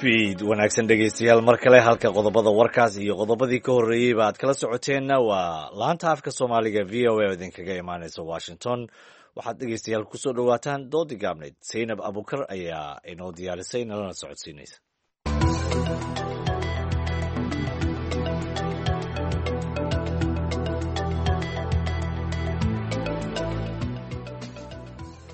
Fiid wanaagsan dhegaystayaal, mar kale halka qodobada warkaas iyo qodobadii ka horreeyeyba aad kala socoteenna waa laanta afka Soomaaliga V O A oo idinkaga imaaneysa Washington. Waxaad dhegaystayaal kusoo dhowaataan doodii gaabnayd. Saynab Abukar ayaa inoo diyaarisay nalana socodsiinaysa.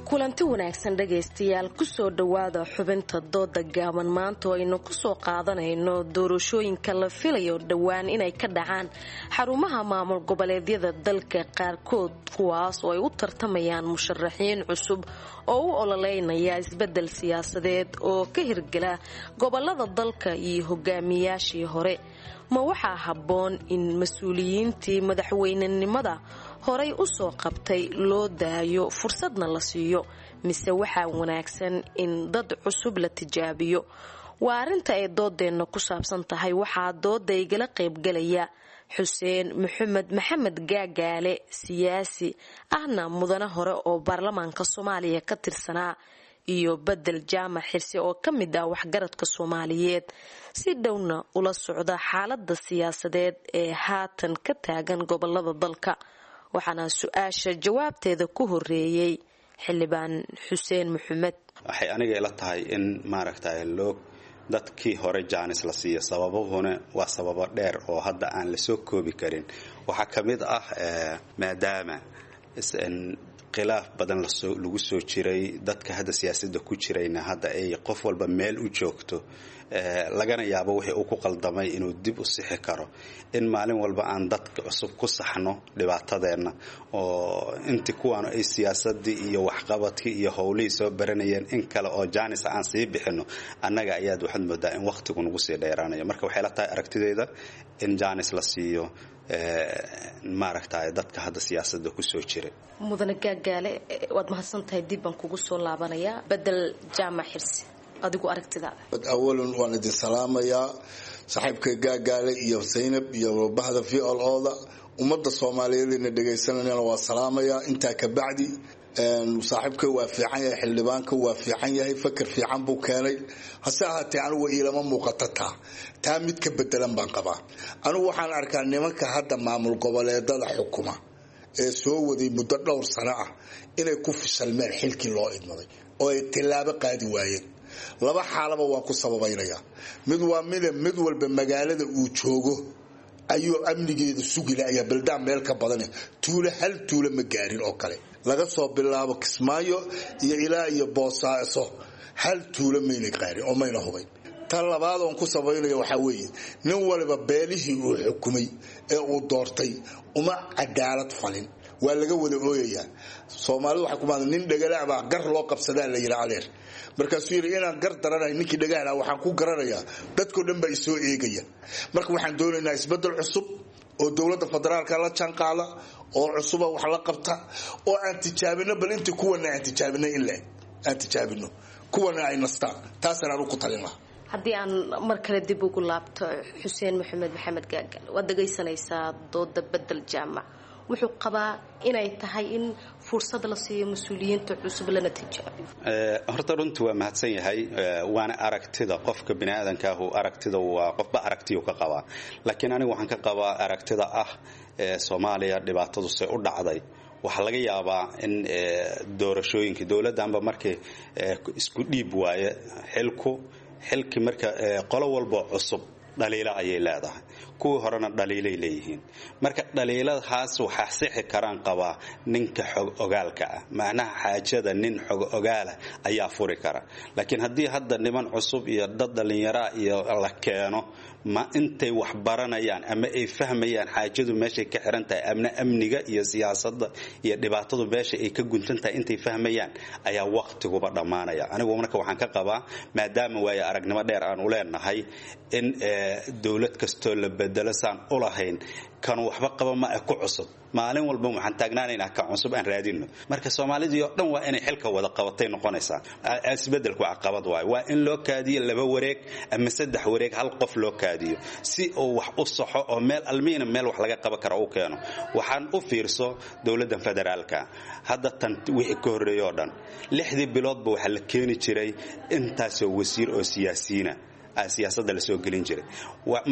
Kulanti wanaagsan dhegaystayaal, kusoo dhowaada xubinta dooda gaaban. Maanta oo aynu kusoo qaadanayno doorashooyinka la filayo dhowaan inay ka dhacaan xarumaha maamul goboleedyada dalka qaarkood, kuwaas oo ay u tartamayaan musharaxiin cusub oo u ololeynaya isbedel siyaasadeed oo ka hirgala gobolada dalka iyo hogaamiyaashii hore. Ma waxaa habboon in mas-uuliyiintii madaxweynenimada horay u soo qabtay loo daayo fursadna la siiyo, mise waxaa wanaagsan in dad cusub la tijaabiyo? Waa arrinta ay doodeenna ku saabsan tahay. Waxaa dooda igala qaybgalaya Xuseen Maxamed Maxamed Gaagaale, siyaasi ahna mudane hore oo baarlamaanka Soomaaliya ka tirsanaa, iyo Bedel Jaamac Xirsi oo ka mid ah waxgaradka Soomaaliyeed si dhowna ula socda xaalada siyaasadeed ee haatan ka taagan gobolada dalka. Waxaana su-aasha jawaabteeda ku horeeyey Xildhibaan Xuseen Maxamed. Waxay aniga ila tahay in maaragtay loo dadkii hore jaanis la siiyo, sababuhuna waa sababo dheer oo hadda aan la soo koobi karin. Waxaa ka mid ah maadaama khilaaf badan lagu soo jiray, dadka hadda siyaasadda ku jirayna hadda ay qof walba meel u joogto, lagana yaabo wixii uu ku qaldamay inuu dib u sixi karo. In maalin walba aan dadka cusub ku saxno dhibaatadeenna oo intii kuwaanu ay siyaasadii iyo waxqabadkii iyo howlihii soo baranayeen in kale oo jaanisa aan sii bixino, annaga ayaad waxaad moodaa in wakhtigu nagu sii dheeraanayo. Marka waxay la tahay aragtideyda in jaanis la siiyo maaragtay dadka hadda siyaasadda kusoo jiray. Mudane Gaagaale, waad mahadsantahay, dib baan kugu soo laabanayaa. Bedel Jaamac Xirsi, adigu aragtidaada. Awalan waan idin salaamayaa saaxiibka Gaagaale iyo Zaynab iyo bahda V O O-da, ummadda Soomaaliyeed ina dhegaysanayana waa salaamayaa. Intaa ka bacdi, saaxiibka waa fiican yahay, xildhibaanka waa fiican yahay, fakar fiican buu keenay. Hase ahaatee anigu iilama muuqata taa taa mid ka bedelan baan qabaa. Anigu waxaan arkaa nimanka hadda maamul goboleedada xukuma ee soo waday muddo dhowr sano ah inay ku fishalmeen xilkii loo idmaday oo ay tillaabo qaadi waayeen. Laba xaalaba waan ku sababaynayaa. Mid waa mida mid walba magaalada uu joogo ayuu amnigeeda sugila ayaa baldaan meel ka badan tuulo hal tuulo ma gaarin oo kale, laga soo bilaabo Kismaayo iyo ilaa iyo Boosaaso hal tuulo mayna gaarin oo mayna hubay. Tan labaad oon ku sabaynaya waxaa weeye nin waliba beelihii uu xukumay ee uu doortay uma cadaalad falin, waa laga wada ooyayaa. Soomaalidu waxay ku maada nin dhagala baa gar loo qabsadaa la yidhi adeer. Markaasuu yidhi inaan gar daranayo ninkii dhagaala waxaan ku garanayaa dadkoo dhan baa isoo eegaya. Marka waxaan doonaynaa isbeddel cusub oo dowladda federaalka la jaanqaada oo cusuba wax la qabta oo aan tijaabino, bal intii kuwana aan tijaabino in la aan tijaabino kuwana ay nastaan, taasaan anugu ku talin lahaa. Haddii aan mar kale dib ugu laabto Xuseen Maxamed Maxamed Gaagaal, waad dhegaysanaysaa dooda Bedel Jaamac. Wuxuu qabaa inay tahay in fursad la siiyo mas-uuliyiinta cusub lana tijaabiyo. Horta runtii waa mahadsan yahay, waana aragtida qofka biniaadanka ahu, aragtida waa qofba aragtiyuu ka qabaa. Laakiin anigu waxaan ka qabaa aragtida ah Soomaaliya dhibaatadu se u dhacday. Waxaa laga yaabaa in doorashooyinka dowladdanba markii isku dhiib waaye xilku xilkii marka qolo walba cusub dhaliilo ayay leedahay, kuwii horena dhaliilay leeyihiin. Marka dhaliiladahaas waxaa sixi karaan qabaa ninka xog ogaalka ah, macnaha xaajada nin xog ogaala ayaa furi kara. Laakiin haddii hadda niman cusub iyo dad dhallinyaraa iyo la keeno, ma intay wax baranayaan ama ay fahmayaan xaajadu meeshay ka xiran tahay, amna amniga iyo siyaasadda iyo dhibaatadu meesha ay ka guntan tahay intay fahmayaan ayaa waqtiguba dhammaanaya. Anigu marka waxaan ka qabaa maadaama waayo aragnimo dheer aan u leenahay in dowlad kastoo la bedelo saan u lahayn kan waxba qaba ma ku cusub, maalin walba waxaan taagnaanaynaa kan cusub aan raadino. Marka soomaalidii oo dhan waa inay xilka wada qabatay noqonaysaa. Isbedelku caqabad waayo, waa in loo kaadiyo laba wareeg ama saddex wareeg, hal qof loo kaadiyo si uu wax u saxo oo meel almiina meel wax laga qaban karo u keeno. Waxaan u fiirso dowladdan federaalka hadda tan wixii ka horreeyay oo dhan lixdii biloodba waxaa la keeni jiray intaasoo wasiir oo siyaasiyiina siyaasadda la soo gelin jiray.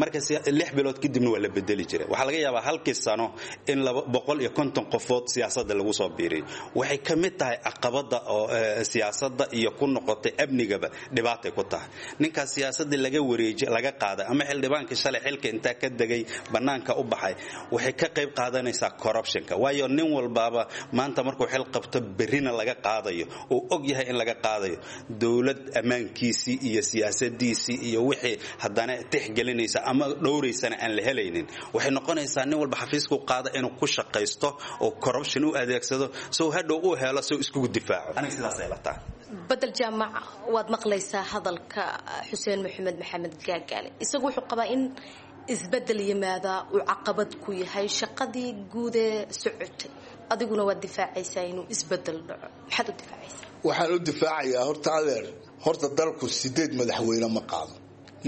Marka lix bilood kadibna waa la bedeli jiray. Waxaa laga yaabaa halkii sano in laba boqol iyo konton qofood siyaasadda lagu soo biiriyo. Waxay ka mid tahay caqabadda oo siyaasadda iyo ku noqotay amnigaba dhibaatay ku tahay. Ninkaas siyaasaddii laga wareejiyay laga qaaday ama xildhibaankii shalay xilka intaa ka degay bannaanka u baxay, waxay ka qayb qaadanaysaa corruptionka. Waayo nin walbaaba maanta markuu xil qabto berrina laga qaadayo uu og yahay in laga qaadayo, dowlad ammaankiisii iyo siyaasadiisii iyo wixii haddana tixgelinaysa ama dhowraysana aan la helaynin, waxay noqonaysaa nin walba xafiisku qaada inuu ku shaqaysto oo corruption u adeegsado sow hadhow u helo sow iskugu difaaco. Aniga sidaas ay la tahay. Bedel Jaamac, waad maqlaysaa hadalka Xuseen Maxamed Maxamed Gaagaale. Isagu wuxuu qabaa in isbedel yimaadaa uu caqabad ku yahay shaqadii guud ee socotay, adiguna waad difaacaysaa inuu isbedel dhaco. Maxaad u difaacaysaa? Waxaan u difaacayaa horta adeer, horta dalku sideed madaxweyne ma qaado,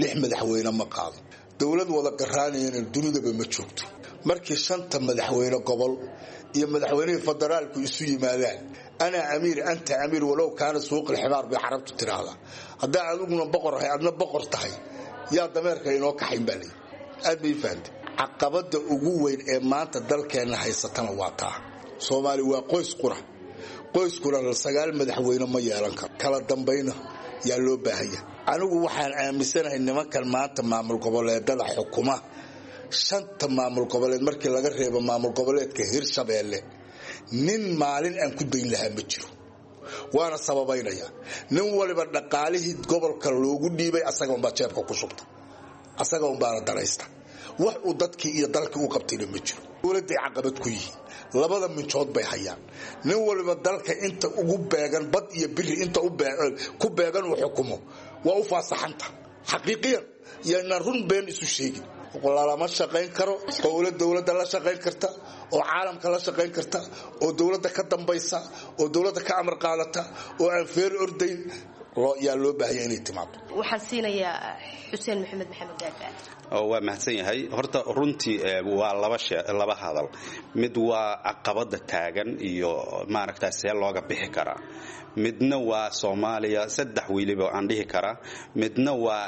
lix madaxweyne ma qaado. Dowlad wada qaraanayana dunidaba ma joogto. Markii shanta madaxweyne gobol iyo madaxweynihii federaalku isu yimaadaan, anaa amiir anta amiir walow kaana suuqil ximaar bay carabtu tiraahdaa. Haddaa adiguna boqor ahay adna boqor tahay, yaa dameerka inoo kaxayn baa leeyi. Aad bay fahamtay. Caqabada ugu weyn ee maanta dalkeenna haysatana waa taa. Soomaali waa qoys qura, qoyskuna sagaal madaxweyne ma yeelan karo. Kala dambayna yaa loo baahanya. Anigu waxaan aaminsanahay nimankan maanta maamul goboleedada xukuma, shanta maamul goboleed markii laga reebo maamul goboleedka Hirshabeelle, nin maalin aan ku dayn lahaa ma jiro. Waana sababaynaya, nin waliba dhaqaalihii gobolka loogu dhiibay asaga unbaa jeebka ku shubta, asaga unbaana danaysta. Wax uu dadkii iyo dalkii u qabtayna ma jiro. Dowladday caqabad ku yihiin, labada minjood bay hayaan. Nin waliba dalka inta ugu beegan bad iyo biri inta ku beegan uu xukumo waa u faasaxanta xaqiiqiyan. Yaynaan run been isu sheegin. Lalama shaqayn karo qowla dowladda la shaqayn karta oo caalamka la shaqayn karta oo dowladda ka dambaysa oo dowladda ka amar qaadata oo aan feer ordayn yaa loo baahanya inay timaado. Waxaan siinayaa Xuseen Maxamed Maxamed Gaagaal. Waa mahadsan yahay. Horta runtii waa laba shee laba hadal. Mid waa caqabada taagan iyo maaragtaa see looga bixi karaa. Midna waa Soomaaliya saddex weliba aan dhihi karaa. Midna waa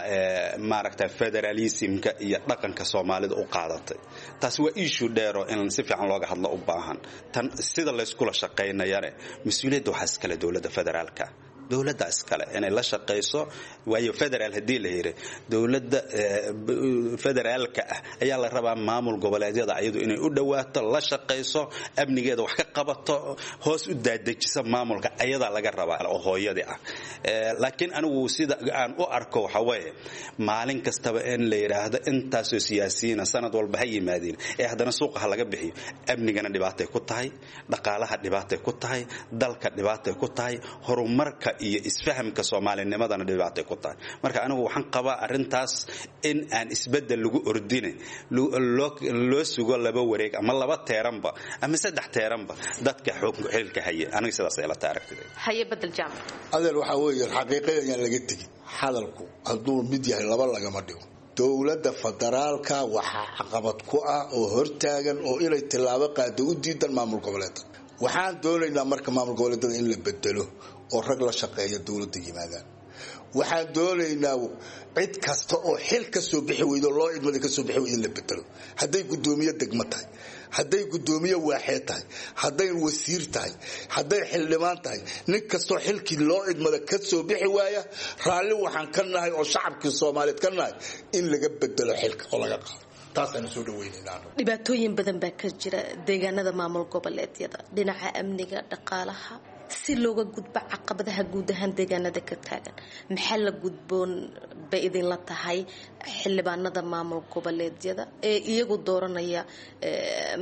maaragtaa federalismka iyo dhaqanka Soomaalida u qaadatay. Taas waa issue dheer oo in si fiican looga hadlo u baahan. Tan sida la iskula shaqaynayana mas'uuliyadda waxaa iskale dowladda federaalka. Dowladda iskale inay la shaqayso, waayo federaal haddii la yiri dowladda federaalka ah ayaa la rabaa maamul goboleedyada ayadu inay u dhawaato, la shaqayso, amnigeeda wax ka qabato, hoos u daadejisa maamulka ayadaa laga rabaa oo hooyadii ah. Laakiin anigu sida aan u arko waxa weeye, maalin kastaba in la yidhaahdo intaasoo siyaasiyiina sanad walba ha yimaadeen ee haddana suuqa ha laga bixiyo, amnigana dhibaatay ku tahay, dhaqaalaha dhibaatay ku tahay, dalka dhibaatay ku tahay, horumarka iyo isfahamka soomaalinimadana dhibaatay ku tahay. Marka anigu waxaan qabaa arrintaas in aan isbedel lagu ordine, loo sugo laba wareeg ama laba teeranba ama saddex teeranba dadka xilka haya. Aniga sidaas ay la tahay aragtida. Haye Bedel Jaamac. Adeer, waxaa weeye xaqiiqada ayaan laga tegin. Hadalku hadduu mid yahay laba lagama dhigo. Dowladda federaalka waxaa caqabad ku ah oo hortaagan oo inay tillaabo qaado u diidan maamul goboleedka. Waxaan doonaynaa marka maamul goboleedada in la bedelo oo rag la shaqeeya dowladda yimaadaan. Waxaan doonaynaa cid kasta oo xil ka soo bixi weydo, loo idmada ka soo bixi weydo, in la bedelo. Hadday guddoomiye degmo tahay, hadday guddoomiye waaxee tahay, hadday wasiir tahay, hadday xildhibaan tahay, nin kastoo xilkii loo idmada ka soo bixi waaya, raalli waxaan ka nahay oo shacabkii Soomaaliyeed ka nahay in laga bedelo xilka oo laga qaado. Taasaan soo dhaweynaynaa. Dhibaatooyin badan baa ka jira deegaanada maamul goboleedyada, dhinaca amniga, dhaqaalaha. Si looga gudbo caqabadaha guud ahaan deegaanada ka taagan, maxaa la gudboon bay idinla tahay xildhibaanada maamul goboleedyada ee iyagu dooranaya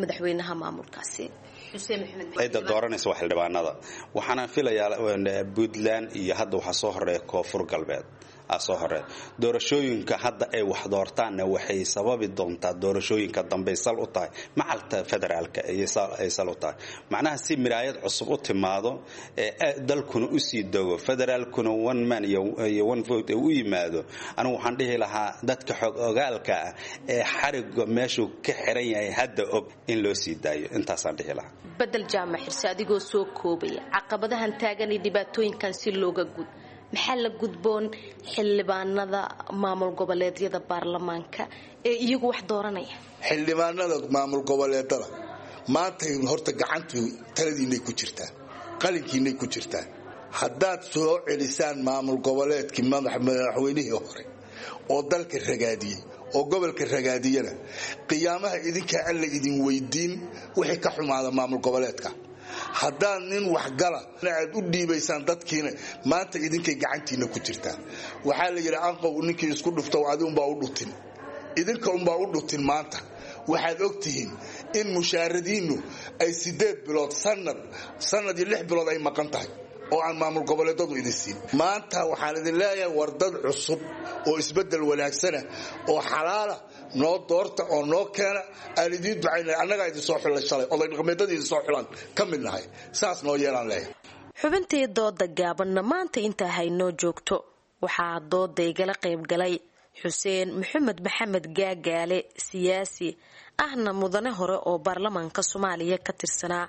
madaxweynaha maamulkaasi? Xuseen Maxamed. Cidda dooranaysa waa xildhibaanada. Waxaana filayaa Puntland iyo hadda waxaa soo horeeya Koonfur Galbeed soo horeeya. Doorashooyinka hadda ay wax doortaanna waxay sababi doontaa doorashooyinka dambe sal u tahay macalta federaalka ay sal u tahay. Macnaha si miraayad cusub u timaado ee dalkuna u sii dogo, federaalkuna one man iyo one vote u yimaado. Anigu waxaan dhihi lahaa dadka xog ogaalka ah ee xariga meeshuu ka xiran yahay hadda og in loo sii daayo. Intaasaan dhihi lahaa. Bedel Jaamac Xirse, adigoo soo koobaya caqabadahan taagan iyo dhibaatooyinkan si looga gud, maxaa la gudboon xildhibaanada maamul goboleedyada baarlamaanka ee iyagu wax dooranaya? Xildhibaanada maamul goboleedada maanta horta gacantu taladiinay ku jirtaa, qalinkiinay ku jirtaa. Haddaad soo celisaan maamul goboleedkii madaxweynihii hore oo dalka ragaadiyey oo gobolka ragaadiyana, qiyaamaha idinkaa alla idin weydiin wixii ka xumaada maamul goboleedka. Haddaad nin waxgala aad u dhiibaysaan dadkiina, maanta idinkay gacantiina ku jirtaa. Waxaa la yidhi anqow ninkii isku dhufto adi umbaa u dhutin, idinka umbaa u dhutin. Maanta waxaad ogtihiin in mushaaradiinnu ay sideed bilood, sanad sanad iyo lix bilood ay maqan tahay oo aan maamul goboleedadu idin siin. Maanta waxaan idin leeyahay war dad cusub oo isbeddel wanaagsana oo xalaala noo doorta oo noo keena. Aan idiin ducaynay, annagaa idin soo xulay shalay, oday dhaqameedadii idin soo xulaan ka mid nahay, saas noo yeelaan leeyahay. Xubintii dooda gaabanna maanta intaa haynoo joogto. Waxaa dooda igala qaybgalay Xuseen Maxamed Maxamed Gaagaale, siyaasi ahna mudane hore oo baarlamaanka Soomaaliya ka tirsanaa,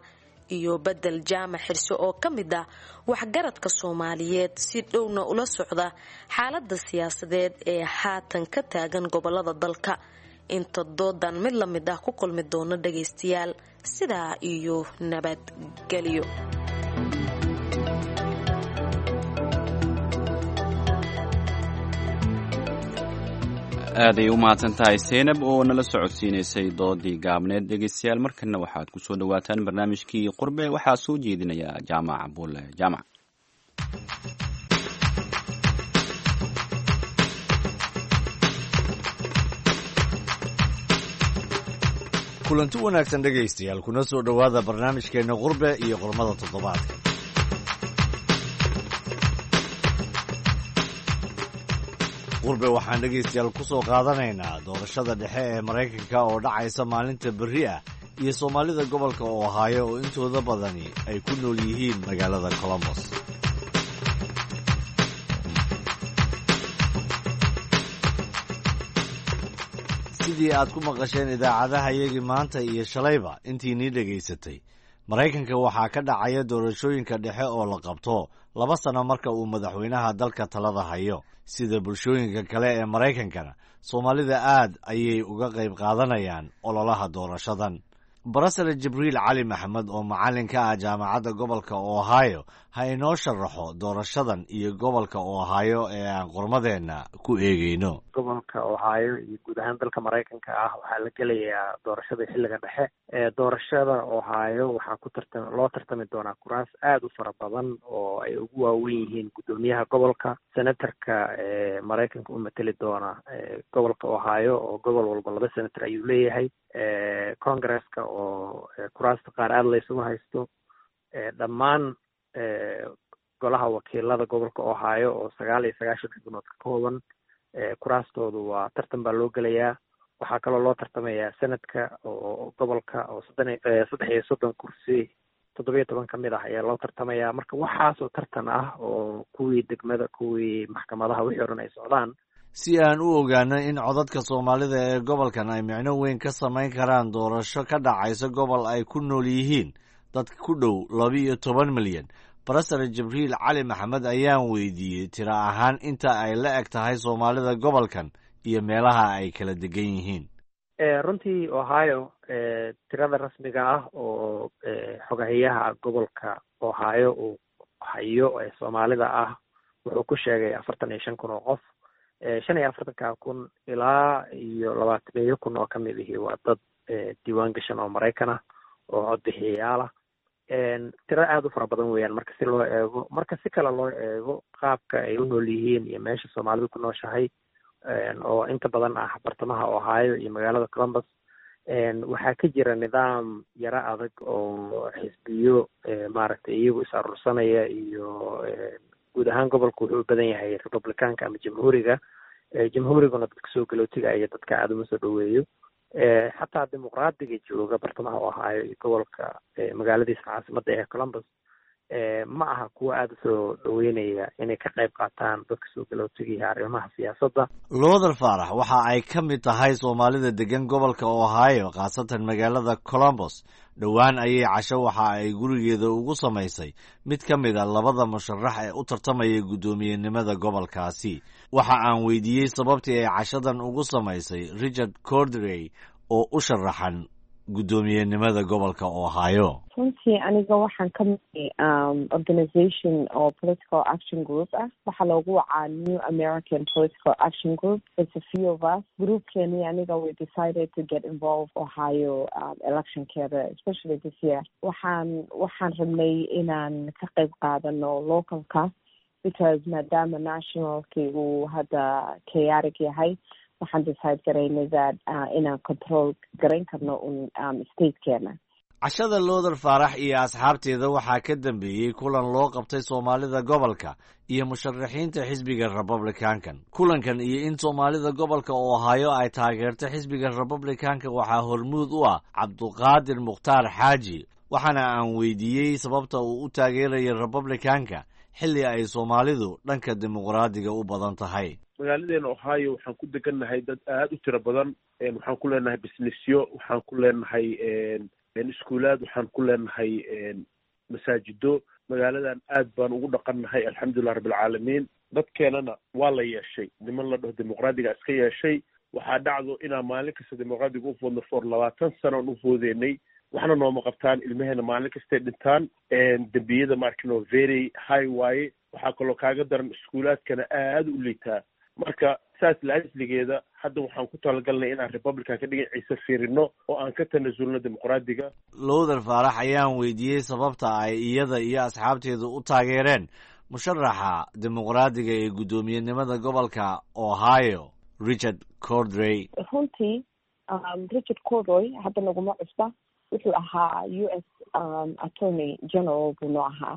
iyo Bedel Jaamac Xirse oo ka mid ah waxgaradka Soomaaliyeed si dhowna ula socda xaalada siyaasadeed ee haatan ka taagan gobolada dalka. Inta doodan mid la mid ah ku kulmi doono dhagaystayaal, sidaa iyo nabadgelyo. Aaday u mahadsan tahay Seynab oo nala socodsiinaysay doodii gaabneed. Dhegeystayaal, markana waxaad ku soo dhawaataan barnaamijkii Qurbe. Waxaa soo jeedinaya Jaamac Bulle Jaamac. Kulanti wanaagsan dhegaystayaal, kuna soo dhowaada barnaamijkeenna Qurbe iyo qormada toddobaadka. Qurbe waxaan dhegaystayaal ku soo qaadanaynaa doorashada dhexe ee Maraykanka oo dhacaysa maalinta berri ah iyo soomaalida gobolka Ohio oo intooda badani ay ku nool yihiin magaalada Columbus. Sidii aad ku maqasheen idaacadaha iyagii maanta iyo shalayba intiinii dhegaysatay, Maraykanka waxaa ka dhacaya doorashooyinka dhexe oo la qabto laba sano marka uu madaxweynaha dalka talada hayo. Sida bulshooyinka kale ee Maraykankana, soomaalida aad ayay uga qayb qaadanayaan ololaha doorashadan. Barasare Jibriil Cali Maxamed oo macallin ka ah jaamacadda gobolka Ohio ha inoo sharaxo doorashadan iyo gobolka Ohio ee aan qormadeenna ku eegeyno. Gobolka Ohio iyo guud ahaan dalka Maraykanka ah waxaa la gelayaa doorashada xilliga dhexe. Ee doorashada Ohio waxaa ku tartam loo tartami doonaa kuraas aada u fara badan oo ay ugu waaweyn yihiin guddoomiyaha gobolka, senatarka ee Maraykanka u mateli doona gobolka Ohio, oo gobol walba laba senator ayuu leeyahay, congresska oo kuraasta qaar aada la isugu haysto, dhammaan golaha wakiilada gobolka Ohio oo sagaal iyo sagaashan xubnood ka kooban, kuraastoodu waa tartan baa loo gelayaa. Waxaa kaloo loo tartamayaa senadka oo gobolka oo soddon saddex iyo soddon kursi, toddobiyo toban ka mid ah ayaa loo tartamayaa. Marka waxaasoo tartan ah oo kuwii degmada, kuwii maxkamadaha, wixii o dhan ay socdaan. Si aan u ogaano in codadka soomaalida ee gobolkan ay micno weyn ka samayn karaan doorasho ka dhacaysa gobol ay ku nool yihiin dad ku dhow laba-iyo toban milyan, Barasare Jibriil Cali Maxamed ayaan weydiiyey tiro ahaan inta ay la eg tahay soomaalida gobolkan iyo meelaha ay kala degan yihiin. Runtii Ohio tirada rasmiga ah oo xogahiyaha gobolka Ohio uu hayo ee soomaalida ah wuxuu ku sheegay afartan iyo shan kun oo qof. Shan iyo afartanka kun ilaa iyo labaatameeyo kun oo kamid ihi waa dad diiwaan gashan oo Maraykan ah oo codbixiyayaal ah. Tiro aada u fara badan weeyaan marka si loo eego. Marka si kale loo eego qaabka ay u nool yihiin iyo meesha soomaalidu ku nooshahay oo inta badan ah bartamaha Ohio iyo magaalada Columbus, waxaa ka jira nidaam yaro adag oo xisbiyo maaragtay iyagu is arursanaya, iyo guud ahaan gobolku wuxuu u badan yahay Republicanka ama Jamhuuriga. Jamhuuriguna dadka soo galootiga iyo dadka aada uma soo dhaweeyo. Xataa dimuqraadiga jooga bartamaha Ohio iyo gobolka magaaladiisa caasimadda ee Columbus ma aha kuwa aada usoo dhaweynaya inay ka qayb qaataan dadka soo galootiga arrimaha siyaasadda. Looder Faarax waxa ay ka mid tahay soomaalida degan gobolka Ohio, khaasatan magaalada Columbus. Dhowaan ayay casho waxa ay gurigeeda ugu samaysay mid ka mid a labada musharax ee u tartamaya guddoomiyenimada gobolkaasi. Waxa aan weydiiyey sababtii ay cashadan ugu samaysay Richard Cordray oo u sharaxan guddoomiyenimada gobolka Ohio. Runtii aniga waxaan ka mid organization oo political action group ah, waxaa loogu wacaa New American Political Action Group. It's a few of us, groupkeeni aniga, we decided to get involved Ohio um, electionkeeda, especially this year. Waxaan waxaan rabnay inaan ka qayb qaadano localka because maadaama nationalkii uu hadda chaotic yahay, waxaan decide garaynay that uh, inaan control garayn karno un um, statekeena. Cashada Looder Faarax iyo asxaabteeda waxaa ka dambeeyey kulan loo qabtay soomaalida gobolka iyo musharaxiinta xisbiga Republicankan. Kulankan iyo in soomaalida gobolka Ohio ay taageerto xisbiga Republicanka waxaa hormuud u ah Cabduqaadir Mukhtaar Xaaji, waxaana aan weydiiyey sababta uu u taageerayo Republicanka xilli ay soomaalidu dhanka dimuqraadiga u badan tahay. Magaaladeena Ohio waxaan ku degannahay dad aada u tiro badan. Waxaan ku leenahay businessyo, waxaan ku leenahay iskuulaad, waxaan ku leenahay masaajido. Magaaladan aad baan ugu dhaqannahay, alxamdulilah rabbilcaalamiin. Dadkeenana waa la yeeshay, niman la dhaho dimuqraadiga iska yeeshay. Waxaa dhacdo inaan maalin kasta dimuqraadiga u foodno, for labaatan sano aan u foodeynay, waxna nooma qabtaan. Ilmaheena maalin kastay dhintaan, dembiyada maarkino very high waaye. Waxaa kaloo kaaga daran iskuulaadkana aada u liitaa. Marka saas la-asligeeda hadda waxaan ku talagalnay inaan Republican ka dhinaciisa fiirino oo aan ka tanasulno dimuqraadiga. Lowther Faarax ayaan weydiiyey sababta ay iyada iyo asxaabteedu u taageereen musharaxa dimuqraadiga ee guddoomiyenimada gobolka Ohio, Richard Cordray. Runtii Richard Cordray hadda naguma cusba. Wuxuu ahaa U S Attorney General buu noo ahaa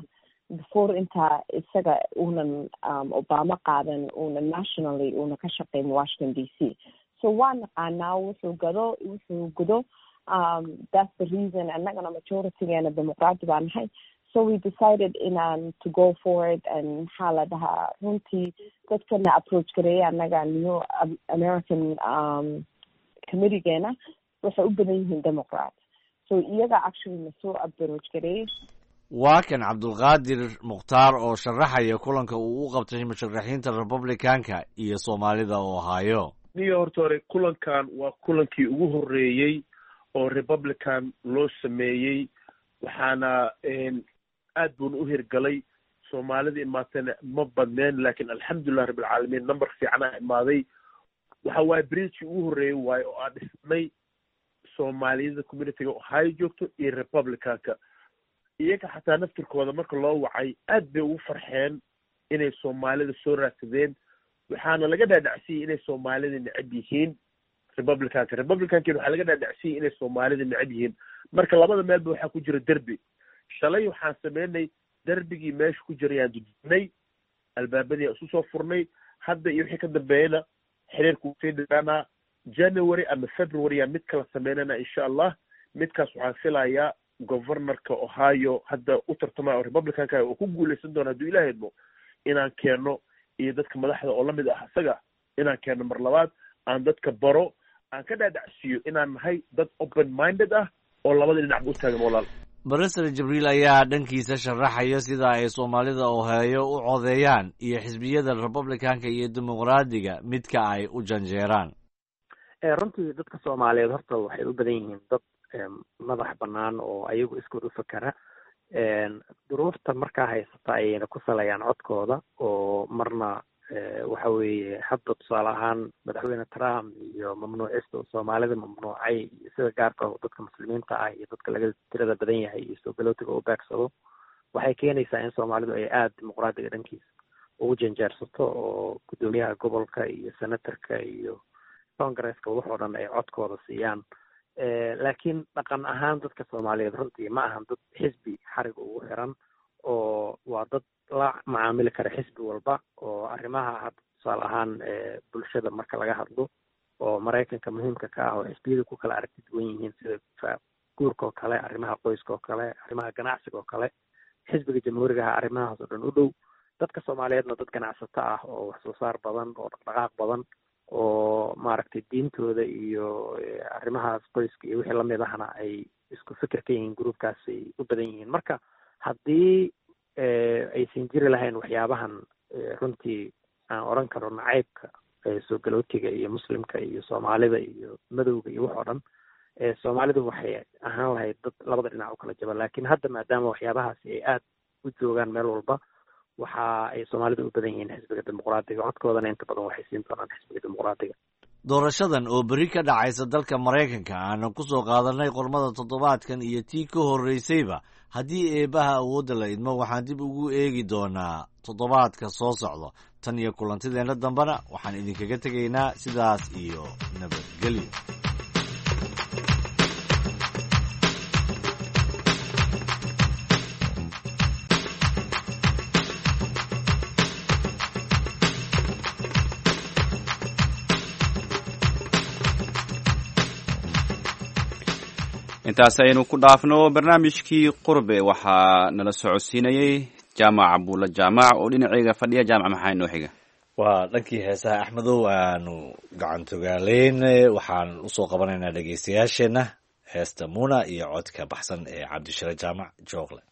before intaa isaga uunan Obama qaadan, uuna nationally uuna ka shaqeyn Washington D C. So waa naqaanaa wuxuu gado, wuxuu gudo. um, that's the reason. Annagana majoritygeena Dimuqraadi baa nahay, so we decided inaan to go for it. And maxaa la dhahaa, runtii dadkana approach gareeya annaga New American um, committeegeena waxay u badan yihiin Democrat, so iyaga actually na soo approach gareeyay. Waa kan Cabdulqaadir Mukhtaar oo sharaxaya kulanka uu u qabtay musharaxiinta Republicanka iyo soomaalida Ohio. Niyo, horta hore kulankan waa kulankii ugu horreeyey oo Republican loo sameeyey, waxaana aad buuna u hirgalay. Soomaalida imaatana ma badneen, laakiin alxamdulilah rabbilcaalamiin, number fiicanaa imaaday. Waxa waaye bridgekii ugu horreeyey waaye oo aan dhisnay soomaaliyada communityga Ohio joogto iyo Republicanka. Iyaga xataa naftirkooda marka loo wacay aad bay ugu farxeen inay soomaalida soo raadsadeen. Waxaana laga dhaadhacsiyey inay soomaalida necab yihiin Republicanka, Republicankiina waxaa laga dhaadhacsiyey inay soomaalida necab yihiin. Marka labada meelba waxaa ku jira derbi. Shalay waxaan sameynay derbigii meesha ku jirayaan dudnay, albaabadii isu soo furnay. Hadda iyo wixii ka dambeeyana xiriirku sii dhiraanaa. January ama February yaa mid kala sameynana, insha Allah. Midkaas waxaan filayaa governorka Ohio hadda u tartamaya oo Republicanka oo ku guuleysan doona, hadduu Ilaah idmo, inaan keeno iyo dadka madaxda oo lamid ah isaga inaan keeno mar labaad, aan dadka baro, aan ka dhaadhacsiiyo inaan nahay dad open minded ah oo labada dhinacba u taagan, walaal. Barasar Jibriil ayaa dhankiisa sharaxaya sida ay soomaalida Ohio u codeeyaan iyo xisbiyada Republicanka iyo dimuqraadiga midka ay u janjeeraan. Runtii dadka soomaaliyeed horta waxay u badan yihiin dad madax bannaan oo ayagu iskood u fakera. Duruufta markaa haysata ayayna ku salayaan codkooda, oo marna waxa weeye hadda tusaale ahaan madaxweyne Trump iyo mamnuucista uu soomaalida mamnuucay iyo sida gaarka dadka muslimiinta ah iyo dadka laga tirada badan yahay iyo soo galootiga u beegsado, waxay keenaysaa in soomaalidu ay aada dimuqraadiga dhankiisa ugu janjeersato, oo guddoomiyaha gobolka iyo senatorka iyo congresska waxoo dhan ay codkooda siiyaan. Laakiin dhaqan ahaan dadka soomaaliyeed runtii ma ahan dad xisbi xarig ugu xiran, oo waa dad la macaamili kara xisbi walba, oo arrimaha hadda tusaale ahaan bulshada marka laga hadlo oo Maraykanka muhiimka ka ah oo xisbiyadu ku kala aragti duwan yihiin, sida guurka oo kale, arrimaha qoyska oo kale, arrimaha ganacsiga oo kale, xisbiga jamhuurigaha arrimahaas oo dhan u dhow. Dadka soomaaliyeedna dad ganacsato ah oo wax soo saar badan oo dhaqdhaqaaq badan oo maaragtay diintooda iyo arrimahaas qoyska iyo wixii lamid ahna ay isku fikir ka yihiin, gruubkaasay u badan yihiin. Marka haddii aysan jiri lahayn waxyaabahan runtii aan odhan karo nacaybka soo galootiga iyo muslimka iyo soomaalida iyo madowga iyo wax oo dhan, soomaalidu waxay ahaan lahayd dad labada dhinac u kala jaba. Laakiin hadda maadaama waxyaabahaasi ay aada u joogaan meel walba, waxa ay soomaalidu u badan yihiin xisbiga dimuqraadiga, codkoodana inta badan waxay siin doonaan xisbiga dimuqraadiga. Doorashadan oo berri ka dhacaysa dalka Maraykanka aanan ku soo qaadanay qormada toddobaadkan iyo tii ka horraysayba, haddii eebbaha awoodda la idmo, waxaan dib ugu eegi doonaa toddobaadka soo socda. Tan iyo kulantideenna dambena waxaan idinkaga tegaynaa sidaas iyo nabadgelyo. Intaas aynu ku dhaafno barnaamijkii Qurbe. Waxaa nala socodsiinayey Jaamac Buulla Jaamac oo dhinaceyga fadhiya. Jaamac, maxaa inoo xiga? Waa dhankii heesaha, Axmedow, aanu gacantogaaleyn. Waxaan usoo qabanaynaa dhegeystayaasheenna heesta Muna iyo codka baxsan ee Cabdishire Jaamac Joogle.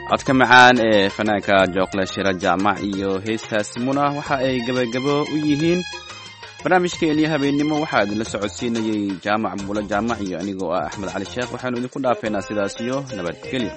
Codka macaan ee fanaanka Jooqle Shira Jaamac iyo heestaasi Muna waxa ay gebagabo u yihiin barnaamijkeennii habeennimo. Waxaa idinla socodsiinayey Jaamac Buulo Jaamac iyo anigoo ah Axmed Cali Sheekh. Waxaanu idinku dhaafeynaa sidaas iyo nabadgelyo.